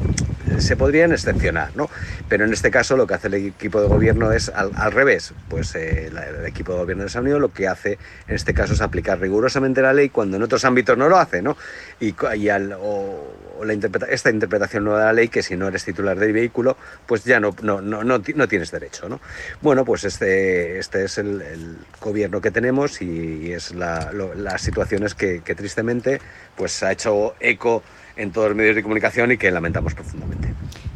se podrían excepcionar, ¿no? Pero en este caso lo que hace el equipo de gobierno es al, al revés. Pues eh, la, el equipo de gobierno de Saunió lo que hace en este caso es aplicar rigurosamente la ley cuando en otros ámbitos no lo hace, ¿no? Y, y al, o, o la interpreta, esta interpretación nueva de la ley, que si no eres titular del vehículo, pues ya no, no, no, no, no tienes derecho, ¿no? Bueno, pues este, este es el, el gobierno que tenemos y, y es la, lo, las situaciones que, que tristemente pues ha hecho eco en tots els medios de comunicació i que lamentamos profundament.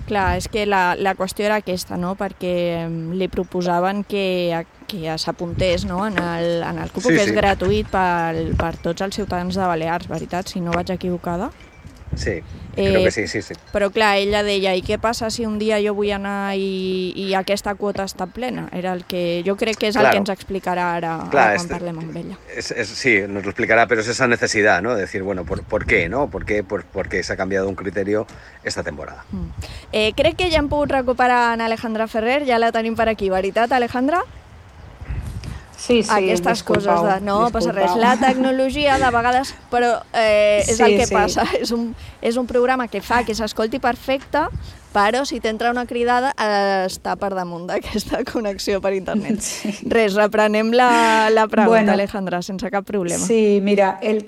Clar, és que la, la qüestió era aquesta, no? Perquè li proposaven que, que s'apuntés, no? en el, en el cupo, sí, que és sí. gratuït per, per tots els ciutadans de Balears, veritat, si no vaig equivocada. Sí, creo eh, que sí, sí, sí. Però clar, ella deia, i què passa si un dia jo vull anar i, i aquesta quota està plena? Era el que jo crec que és claro. el que ens explicarà ara, claro, ara quan este, parlem amb ella. Es, es, sí, nos lo explicará, pero es esa necesidad, ¿no? De decir, bueno, ¿por, por qué, no? ¿Por qué? Por, porque se ha cambiado un criterio esta temporada. Mm. Eh, crec que ja hem pogut recuperar en Alejandra Ferrer, ja la tenim per aquí, veritat, Alejandra? Sí, sí, aquestes coses de... No, passa res. La tecnologia, de vegades, però eh, és sí, el que sí. passa. És un, és un programa que fa que s'escolti perfecte, però si t'entra una cridada eh, està per damunt d'aquesta connexió per internet. Sí. Res, reprenem la, la pregunta, bueno, Alejandra, sense cap problema. Sí, mira, el...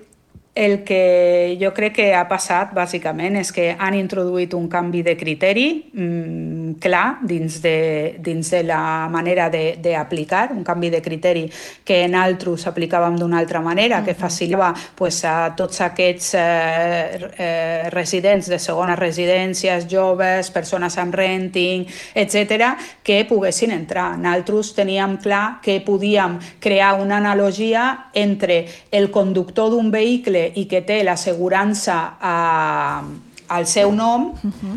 El que jo crec que ha passat, bàsicament, és que han introduït un canvi de criteri mmm, clar dins de, dins de la manera d'aplicar, un canvi de criteri que en altres aplicàvem d'una altra manera, que facilitava pues, a tots aquests eh, eh, residents de segones residències, joves, persones amb renting, etcètera, que poguessin entrar. Nosaltres teníem clar que podíem crear una analogia entre el conductor d'un vehicle i que té l'assegurança a, al seu nom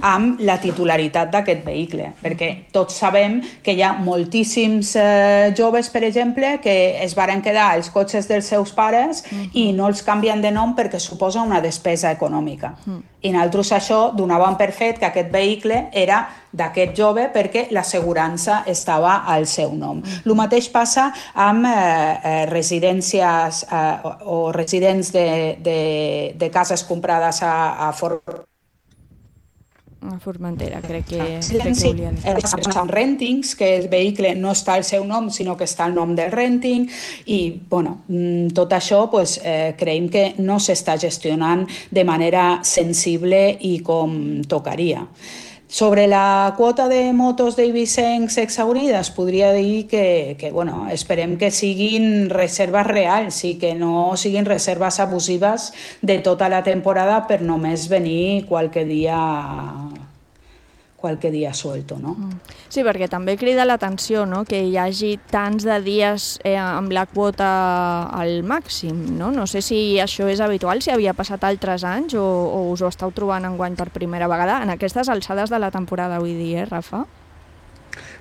amb la titularitat d'aquest vehicle, perquè tots sabem que hi ha moltíssims eh, joves, per exemple, que es varen quedar als cotxes dels seus pares uh-huh. i no els canvien de nom perquè suposa una despesa econòmica. Uh-huh. I nosaltres això donàvem per fet que aquest vehicle era d'aquest jove perquè l'assegurança estava al seu nom. El mateix passa amb eh, eh, residències eh, o residents de, de, de cases comprades a, a Fort a Formentera, crec que, sí, crec sí. que volia dir. Són rentings, que el vehicle no està al seu nom, sinó que està al nom del renting, i bueno, tot això pues, eh, creiem que no s'està gestionant de manera sensible i com tocaria. Sobre la quota de motos d'eivissencs exhaurides, podria dir que, que bueno, esperem que siguin reserves reals i que no siguin reserves abusives de tota la temporada per només venir qualque dia, qualque dia suelto, no? Sí, perquè també crida l'atenció, no?, que hi hagi tants de dies eh, amb la quota al màxim, no? No sé si això és habitual, si havia passat altres anys o, o us ho esteu trobant enguany per primera vegada en aquestes alçades de la temporada, vull dir, eh, Rafa?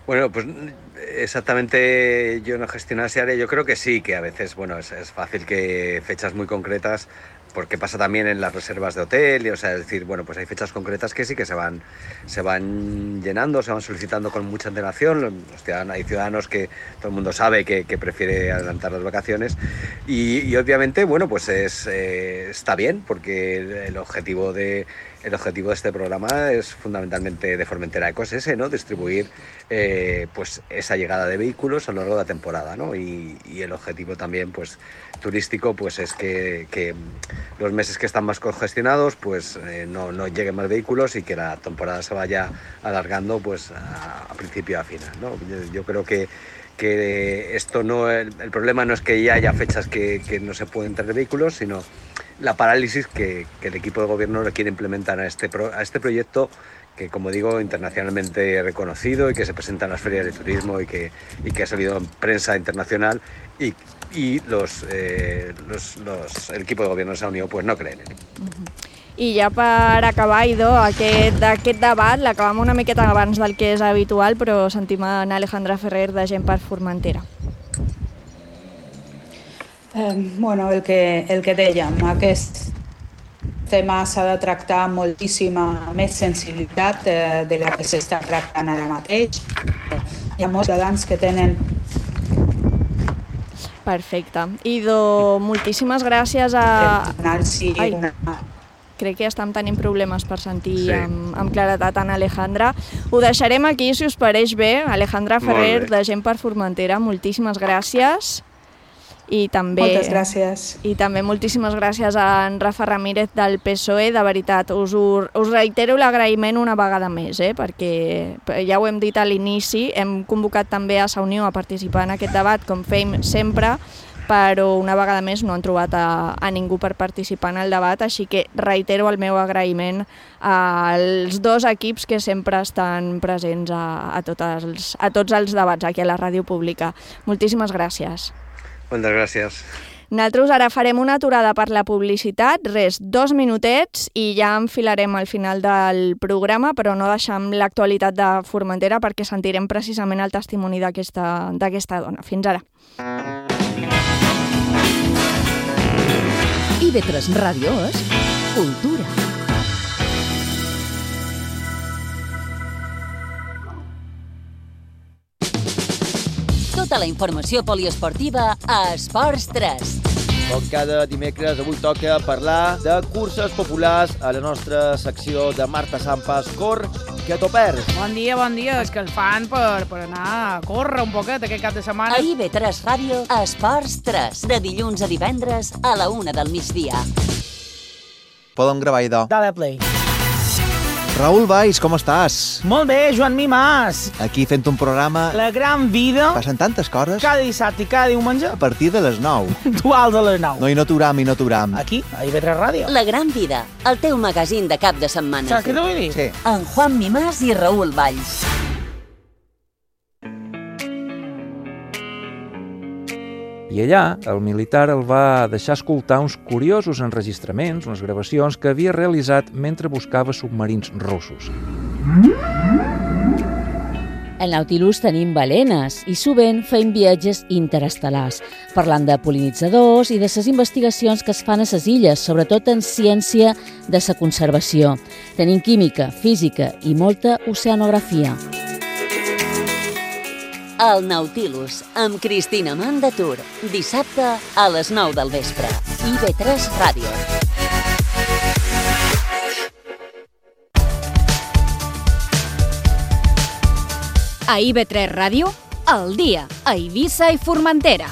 Bueno, pues exactamente yo no gestiono ese área, yo creo que sí, que a veces, bueno, es, es fácil que fechas muy concretas, porque pasa también en las reservas de hotel, y, o sea, es decir, bueno, pues hay fechas concretas que sí que se van, se van llenando, se van solicitando con mucha antelación. Los ciudadanos, hay ciudadanos que todo el mundo sabe que, que prefiere adelantar las vacaciones y, y obviamente, bueno, pues es, eh, está bien, porque el, el objetivo de El objetivo de este programa es fundamentalmente de Formentera Ecos ese, ¿no? Distribuir eh, pues esa llegada de vehículos a lo largo de la temporada, ¿no? Y, y el objetivo también pues turístico pues es que, que los meses que están más congestionados pues eh, no, no lleguen más vehículos y que la temporada se vaya alargando pues a, a principio a final, ¿no? Yo, yo creo que que esto no, el, el problema no es que ya haya fechas que, que no se pueden traer vehículos, sino la parálisis que, que el equipo de gobierno le quiere implementar a este, pro, a este proyecto que, como digo, internacionalmente reconocido y que se presenta en las ferias de turismo y que, y que ha salido en prensa internacional y, y los, eh, los, los, el equipo de gobierno de esa unión pues no creen en él. Uh-huh. I ja per acabar, Ido, aquest, aquest debat l'acabam una miqueta abans del que és habitual, però sentim en Alejandra Ferrer de Gent per Formentera. Eh, bueno, el que, el que dèiem, aquest tema s'ha de tractar amb moltíssima més sensibilitat eh, de la que s'està tractant ara mateix. Hi ha molts ciutadans que tenen... Perfecte. Ido, moltíssimes gràcies a... Ai, crec que estem tenint problemes per sentir sí. amb, amb claretat en Alejandra. Ho deixarem aquí, si us pareix bé. Alejandra Ferrer, de Gent per Formentera, moltíssimes gràcies. I també, Moltes gràcies. I també moltíssimes gràcies a en Rafa Ramírez del P S O E. De veritat, us, us reitero l'agraïment una vegada més, eh? Perquè ja ho hem dit a l'inici, hem convocat també a Sa Unió a participar en aquest debat, com fem sempre, però una vegada més no han trobat a, a ningú per participar en el debat, així que reitero el meu agraïment als dos equips que sempre estan presents a, a, tots, els, a tots els debats aquí a la ràdio pública. Moltíssimes gràcies. Moltes gràcies. Nosaltres ara farem una aturada per la publicitat, res, dos minutets i ja enfilarem al final del programa, però no deixem l'actualitat de Formentera perquè sentirem precisament el testimoni d'aquesta d'aquesta dona. Fins ara. I ve tres Ràdio és cultura. Tota la informació poliesportiva a Esports tres. Com cada dimecres, avui toca parlar de curses populars a la nostra secció de Marta Sampas, Cor, que t'ho perds. Bon dia, bon dia. És que el fan per, per anar a córrer un poquet aquest cap de setmana. A I V tres Ràdio, Esports tres, de dilluns a divendres a la una del migdia. Podem gravar, idò. Dale play. Raül Valls, com estàs? Molt bé, Joan Mimàs. Aquí fent un programa... La gran vida. Passen tantes coses. Cada dissabte i cada diumenge. A partir de les nou. Duals a les nou. No, i no aturam, i no aturam. Aquí, a I V tres Ràdio. La gran vida, el teu magazín de cap de setmana. Saps què t'ho vull dir? Sí. En Juan Mimàs i Raül Valls. I allà, el militar el va deixar escoltar uns curiosos enregistraments, unes gravacions que havia realitzat mentre buscava submarins russos. Al Nautilus tenim balenes i sovint fem viatges interestel·lars, parlant de pol·linitzadors i de les investigacions que es fan a les illes, sobretot en ciència de la conservació. Tenim química, física i molta oceanografia. El Nautilus, amb Cristina Mandatur, dissabte a les nou del vespre. I ve tres Ràdio. A I V tres Ràdio, al dia, a Eivissa i Formentera.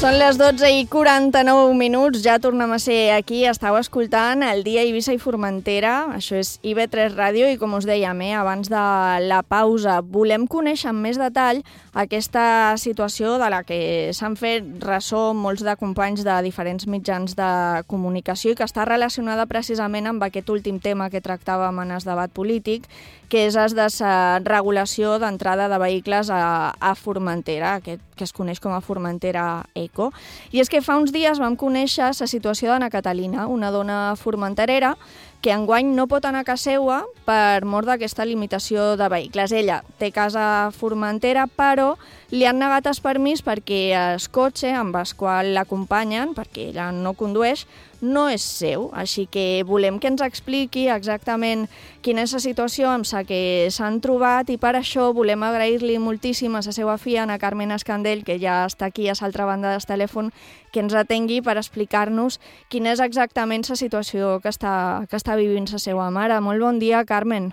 Són les dotze i quaranta-nou minuts, ja tornem a ser aquí, estàu escoltant el dia Eivissa i Formentera, això és I V tres Ràdio i com us dèiem, eh, abans de la pausa, volem conèixer amb més detall aquesta situació de la que s'han fet ressò molts de companys de diferents mitjans de comunicació i que està relacionada precisament amb aquest últim tema que tractàvem en el debat polític, que és el de la regulació d'entrada de vehicles a, a Formentera, aquest que es coneix com a Formentera Eco. I és que fa uns dies vam conèixer la situació d'Anna Catalina, una dona formenterera que enguany no pot anar a casa seva per mort d'aquesta limitació de vehicles. Ella té casa a Formentera, però li han negat el permís perquè el cotxe amb el qual l'acompanyen, perquè ella no condueix, no és seu. Així que volem que ens expliqui exactament quina és la situació amb la que s'han trobat i per això volem agrair-li moltíssim a la seva filla, Ana Carmen Escandell, que ja està aquí a l'altra banda del telèfon, que ens atengui per explicar-nos quina és exactament la situació que està, que està vivint la seva mare. Molt bon dia, Carmen.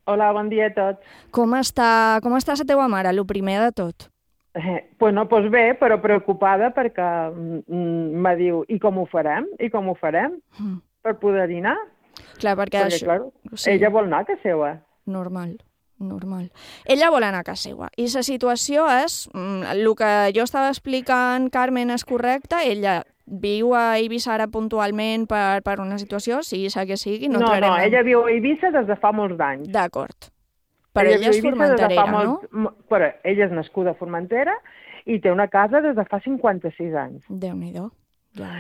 Hola, bon dia a tots. Com està, com està la teva mare, el primer de tot? Eh, pues no, pues bé, però preocupada perquè mm, me diu, i com ho farem? I com ho farem? Mm. Per poder dinar? Clar, perquè, perquè això... clar, sí. Ella vol anar a casa seva. Normal, normal. Ella vol anar a casa seva. I la situació és, mm, el que jo estava explicant, Carmen, és correcte, ella viu a Eivissa ara puntualment per, per una situació, sigui la que sigui. No, no, no en... ella viu a Eivissa des de fa molts anys. D'acord. Però ella, ella és formenterera, no? Molt... Però ella és nascuda a Formentera i té una casa des de fa cinquanta-sis anys. Déu-n'hi-do. Ja...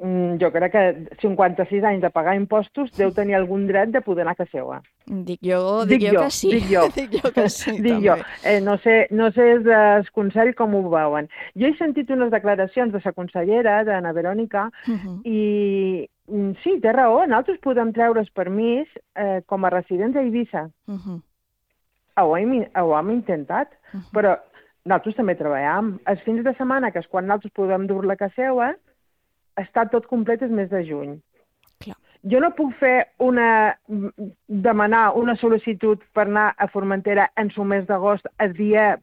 Mm, jo crec que cinquanta-sis anys de pagar impostos deu tenir algun dret de poder anar a casa seva. Dic jo, dic, dic jo, jo que sí. Dic jo, dic jo que sí, dic també. Jo. Eh, no sé, no sé el consell com ho veuen. Jo he sentit unes declaracions de la consellera, d'Anna Verònica, uh -huh. i mm, sí, té raó, nosaltres podem treure el permís eh, com a residents a Eivissa. Uh -huh. Ho hem, ho hem intentat, uh -huh. però nosaltres també treballem. Els fins de setmana, que és quan nosaltres podem dur-la a casa seva, està tot complet el mes de juny. Clar. Jo no puc fer una... demanar una sol·licitud per anar a Formentera en el mes d'agost, el dia,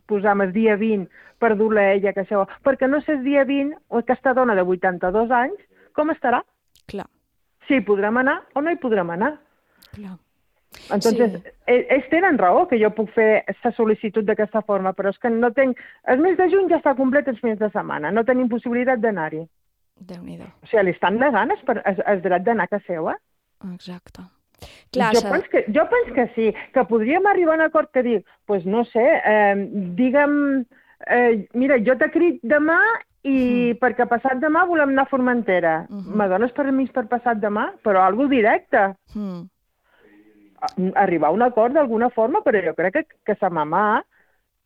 posam el dia vint, per dur-la a ella a casa seva, perquè no sé el dia vint, aquesta dona de vuitanta-dos anys, com estarà? Clar. Si hi podrem anar o no hi podrem anar. Clar. Entonces, sí. Ells tenen raó que jo puc fer aquesta sol·licitud d'aquesta forma, però és que no tinc... El mes de juny ja està complet els fins de setmana, no tenim possibilitat d'anar-hi. Déu-n'hi-do. O sigui, li estan negant el, el dret d'anar a casa seva. Exacte. Clar, jo, penso que, jo penso que sí, que podríem arribar a un acord que dic, doncs pues no sé, eh, digue'm, eh, mira, jo t'he crit demà i mm. perquè passat demà volem anar a Formentera. Mm -hmm. Me dones permís per passat demà? Però algo directe. Mm. Arribar a un acord d'alguna forma, però jo crec que, que sa mamà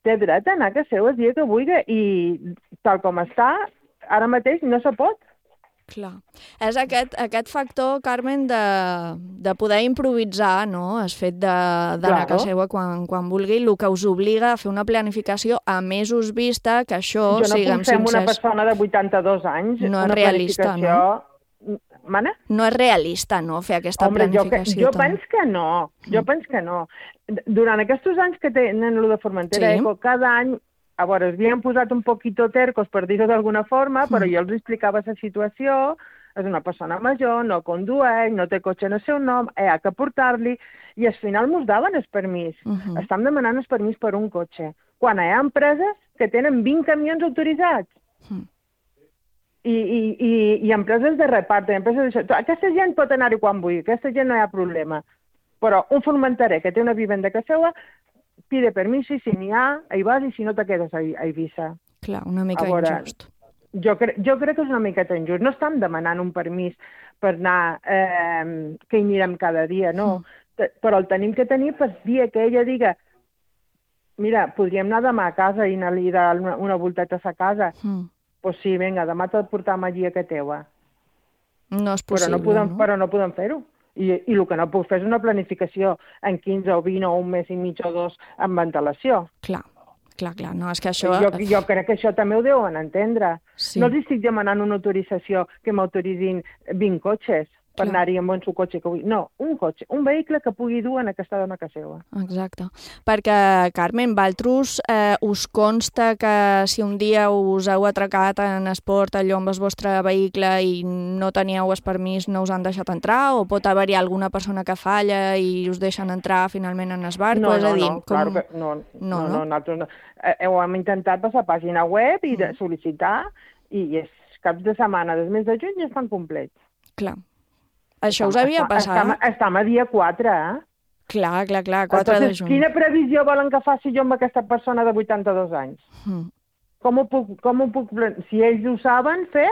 té dret a anar a casa seva el dia que vulgui i tal com està, ara mateix no se pot. Clar. És aquest, aquest factor, Carmen, de, de poder improvisar, no? El fet d'anar claro. a casa seva quan, quan vulgui, el que us obliga a fer una planificació a mesos vista, que això, jo no siguem puc fer amb sincers... una persona de vuitanta-dos anys, no una és realista, planificació... no? Mana? No és realista, no?, fer aquesta Hombre, planificació. Jo, que, jo penso que no, jo mm. penso que no. Durant aquests anys que tenen el de Formentera, sí. cada any, a veure, es havien posat un poquito tercos, per dir-ho d'alguna forma, però mm. jo els explicava la situació, és una persona major, no condueix, no té cotxe en el seu nom, eh, ha que portar-li, i al final mos daven el permís. Uh -huh. Estan demanant el permís per un cotxe. Quan hi ha empreses que tenen vint camions autoritzats. Mm. I, i, i, i empreses de repart, empreses d'això. Aquesta gent pot anar-hi quan vulgui, aquesta gent no hi ha problema. Però un formenterer que té una vivenda a casa seva pide permís i si n'hi ha, hi vas i si no te quedes a, a Eivissa. Clar, una mica a veure, injust. Jo, cre jo crec que és una miqueta injust. No estem demanant un permís per anar, eh, que hi anirem cada dia, no. Mm. Però el tenim que tenir per dia que ella diga mira, podríem anar demà a casa i anar-li dar una, una volteta a sa casa. Mm. Pues sí, vinga, demà te'l portam allí a que teua. No és possible, però no? Podem, no? Però no podem fer-ho. I, I el que no puc fer és una planificació en quinze o vint o un mes i mig o dos amb ventilació. Clar. Clar, clar, no, és que això... Jo, jo crec que això també ho deuen entendre. Sí. No els estic demanant una autorització que m'autoritzin vint cotxes per anar-hi amb un cotxe que vull. No, un cotxe, un vehicle que pugui dur en aquesta dona a casa seva. Exacte. Perquè, Carmen, vosaltres eh, us consta que si un dia us heu atracat en esport allò amb el vostre vehicle i no teníeu el permís, no us han deixat entrar? O pot haver-hi alguna persona que falla i us deixen entrar finalment en el barco? No, és a no, dir, no, com... claro que no. No, no, no, no? no nosaltres no. Eh, ho hem intentat passar a pàgina web i de sol·licitar i els caps de setmana del mes de juny ja estan complets. Clar. Això us havia passat? Estam, estam a dia quatre, eh? Clar, clar, clar, quatre Entonces, de juny. Quina previsió volen que faci jo amb aquesta persona de vuitanta-dos anys? Mm. Com ho puc, com ho puc... Si ells ho saben fer,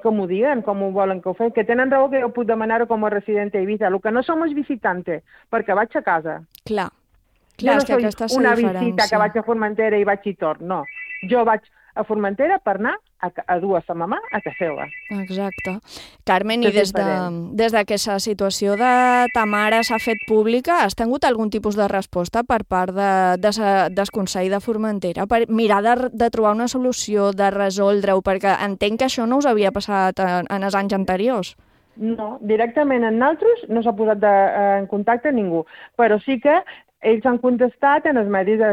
que m'ho diguen, com ho volen que ho fem. Que tenen raó que jo puc demanar-ho com a resident a Eivissa. El que no som és visitante, perquè vaig a casa. Clar. Clar, jo no és que soy una visita que vaig a Formentera i vaig i torn, no. Jo vaig a Formentera per anar a, a dur a sa mamà a casa seva. Exacte. Carmen, i des, de, des de que aquesta situació de ta mare s'ha fet pública, has tingut algun tipus de resposta per part de, de, del Consell de Formentera per mirar de, de trobar una solució, de resoldre-ho, perquè entenc que això no us havia passat en, en els anys anteriors. No, directament en nosaltres no s'ha posat de, en contacte ningú, però sí que ells han contestat en els medis de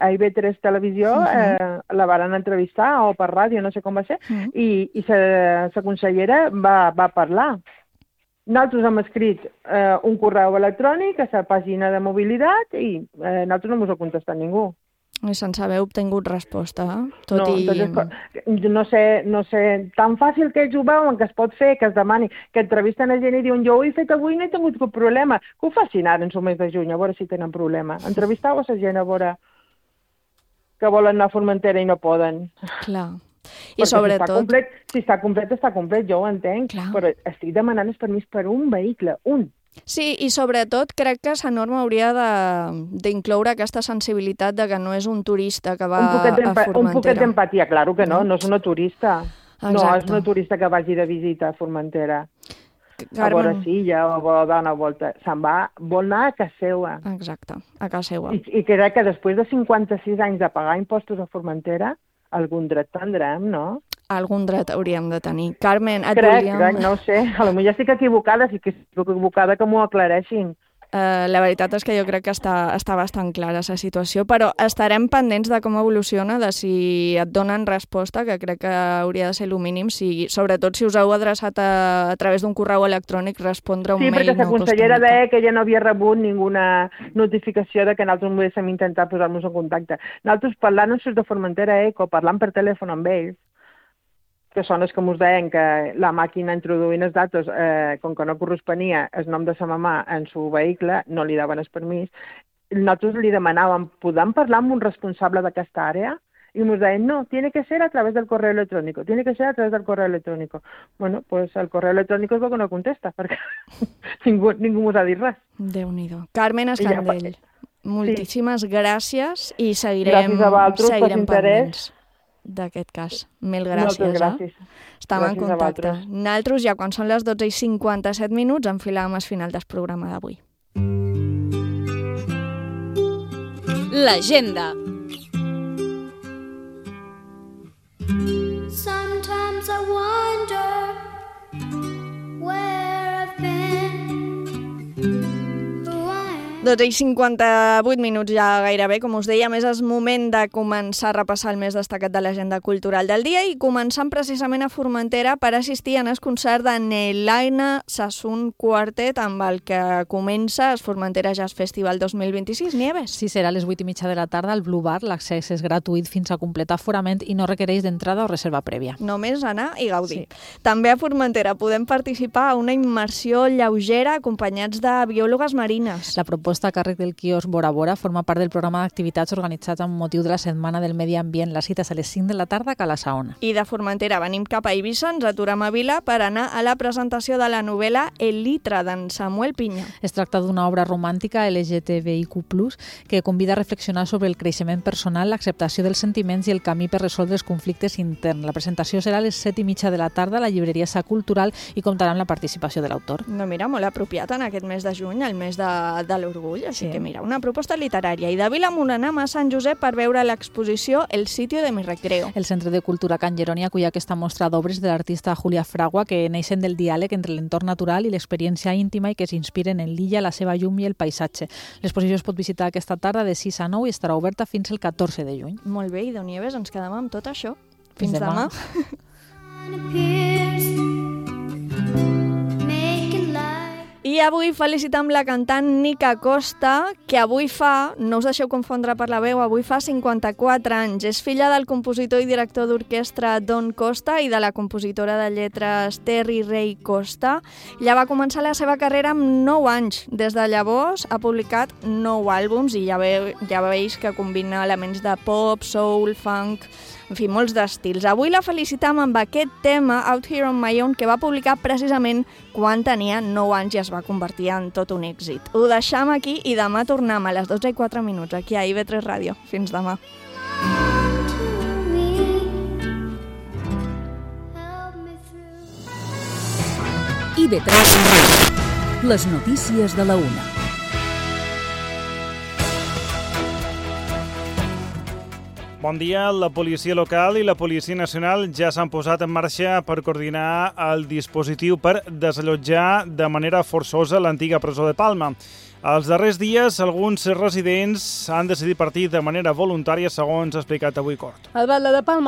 a I V tres Televisió, uh -huh. eh, la van entrevistar, o per ràdio, no sé com va ser, uh -huh. i, i la consellera va, va parlar. Nosaltres hem escrit eh, un correu electrònic a la pàgina de mobilitat i eh, nosaltres no ens ha contestat ningú. I sense haver obtingut resposta, eh? Tot no, i... entonces, no sé, no sé, tan fàcil que ells ho veuen, que es pot fer, que es demani, que entrevisten a gent i diuen jo ho he fet avui i no he tingut cap problema. Que ho facin ara en el mes de juny, a veure si tenen problema. Entrevistau a la gent a veure que volen anar a Formentera i no poden. Clar. I perquè sobretot... Si està complet, si està complet, està complet, jo ho entenc, clar. Però estic demanant el permís per un vehicle, un. Sí, i sobretot crec que la norma hauria d'incloure aquesta sensibilitat de que no és un turista que va a Formentera. Un poquet d'empatia, claro que no, no és una turista. Exacte. No és una turista que vagi de visita a Formentera. Carmen... A veure si ja vol dar una volta. Se'n va, vol anar a casa seva. Exacte, a casa seva. I, I crec que després de cinquanta-sis anys de pagar impostos a Formentera, algun dret tindrem, no? Algun dret hauríem de tenir. Carmen, et crec, volíem... Crec, no ho sé. A lo millor estic equivocada, si que estic equivocada que m'ho aclareixin. Uh, la veritat és que jo crec que està, està bastant clara la situació, però estarem pendents de com evoluciona, de si et donen resposta, que crec que hauria de ser el mínim, si, sobretot si us heu adreçat a, a través d'un correu electrònic, respondre un sí, mail. Sí, perquè la consellera deia que ella no havia rebut ninguna notificació de que nosaltres volguéssim intentar posar-nos en contacte. Nosaltres parlant amb de Formentera Eco, parlant per telèfon amb ells, que són els que ens deien que la màquina introduint els datos, eh, com que no corresponia el nom de sa mamà en su vehicle, no li daven el permís, nosaltres li demanàvem, podem parlar amb un responsable d'aquesta àrea? I ens deien, no, tiene que ser a través del correo electrónico, tiene que ser a través del correo electrónico. Bueno, pues el correo electrónico és el que no contesta, perquè ningú, ningú ens ha dit res. Déu-n'hi-do. Carmen Escandell, ja, moltíssimes sí. gràcies i seguirem, gràcies a vosaltres, seguirem pendents d'aquest cas. Mil gràcies. Moltes gràcies. Eh? Estem gràcies en contacte. Nosaltres ja quan són les dotze i cinquanta-set minuts enfilàvem al final del programa d'avui. L'agenda. Sometimes I wonder where I've been. dotze i cinquanta-vuit minuts ja gairebé, com us deia, a més és moment de començar a repassar el més destacat de l'agenda cultural del dia i començant precisament a Formentera per assistir en el concert de Nelaina Sassoon Quartet, amb el que comença el Formentera Jazz Festival dos mil vint-i-sis. Nieves? Sí, serà a les vuit i mitja de la tarda al Blue Bar. L'accés és gratuït fins a completar aforament i no requereix d'entrada o reserva prèvia. Només anar i gaudir. Sí. També a Formentera podem participar a una immersió lleugera acompanyats de biòlogues marines. La proposta a càrrec del quiosc Bora Bora forma part del programa d'activitats organitzat amb motiu de la Setmana del Medi Ambient. La cita és a les cinc de la tarda a Cala Saona. I de Formentera venim cap a Eivissa, ens aturem a Vila per anar a la presentació de la novel·la El litre, d'en Samuel Piña. Es tracta d'una obra romàntica L G T B I Q plus, que convida a reflexionar sobre el creixement personal, l'acceptació dels sentiments i el camí per resoldre els conflictes interns. La presentació serà a les set i mitja de la tarda a la llibreria Sa Cultural i comptarà amb la participació de l'autor. No, mira, molt apropiat en aquest mes de juny, el mes de, de l'orgull, així sí. que mira, una proposta literària. I de Vilamunt anem a Sant Josep per veure l'exposició El sitio de mi recreo. El Centre de Cultura Can Jeroni acull aquesta mostra d'obres de l'artista Julia Fragua que neixen del diàleg entre l'entorn natural i l'experiència íntima i que s'inspiren en l'illa, la seva llum i el paisatge. L'exposició es pot visitar aquesta tarda de sis a nou i estarà oberta fins el catorze de juny. Molt bé, i de Nieves ens quedem amb tot això. Fins, fins demà. I avui felicitam la cantant Nica Costa, que avui fa, no us deixeu confondre per la veu, avui fa cinquanta-quatre anys. És filla del compositor i director d'orquestra Don Costa i de la compositora de lletres Terry Ray Costa. Ella va començar la seva carrera amb nou anys. Des de llavors ha publicat nou àlbums i ja, ve, ja veus que combina elements de pop, soul, funk, en fi, molts d'estils. Avui la felicitam amb aquest tema, Out Here on My Own, que va publicar precisament quan tenia nou anys i es va convertir en tot un èxit. Ho deixam aquí i demà tornem a les dotze i quatre minuts aquí a I V tres Ràdio. Fins demà. I V tres Ràdio. Les notícies de la una. Bon dia. La policia local i la policia nacional ja s'han posat en marxa per coordinar el dispositiu per desallotjar de manera forçosa l'antiga presó de Palma. Els darrers dies, alguns residents han decidit partir de manera voluntària, segons ha explicat avui Cort. El batlle de Palma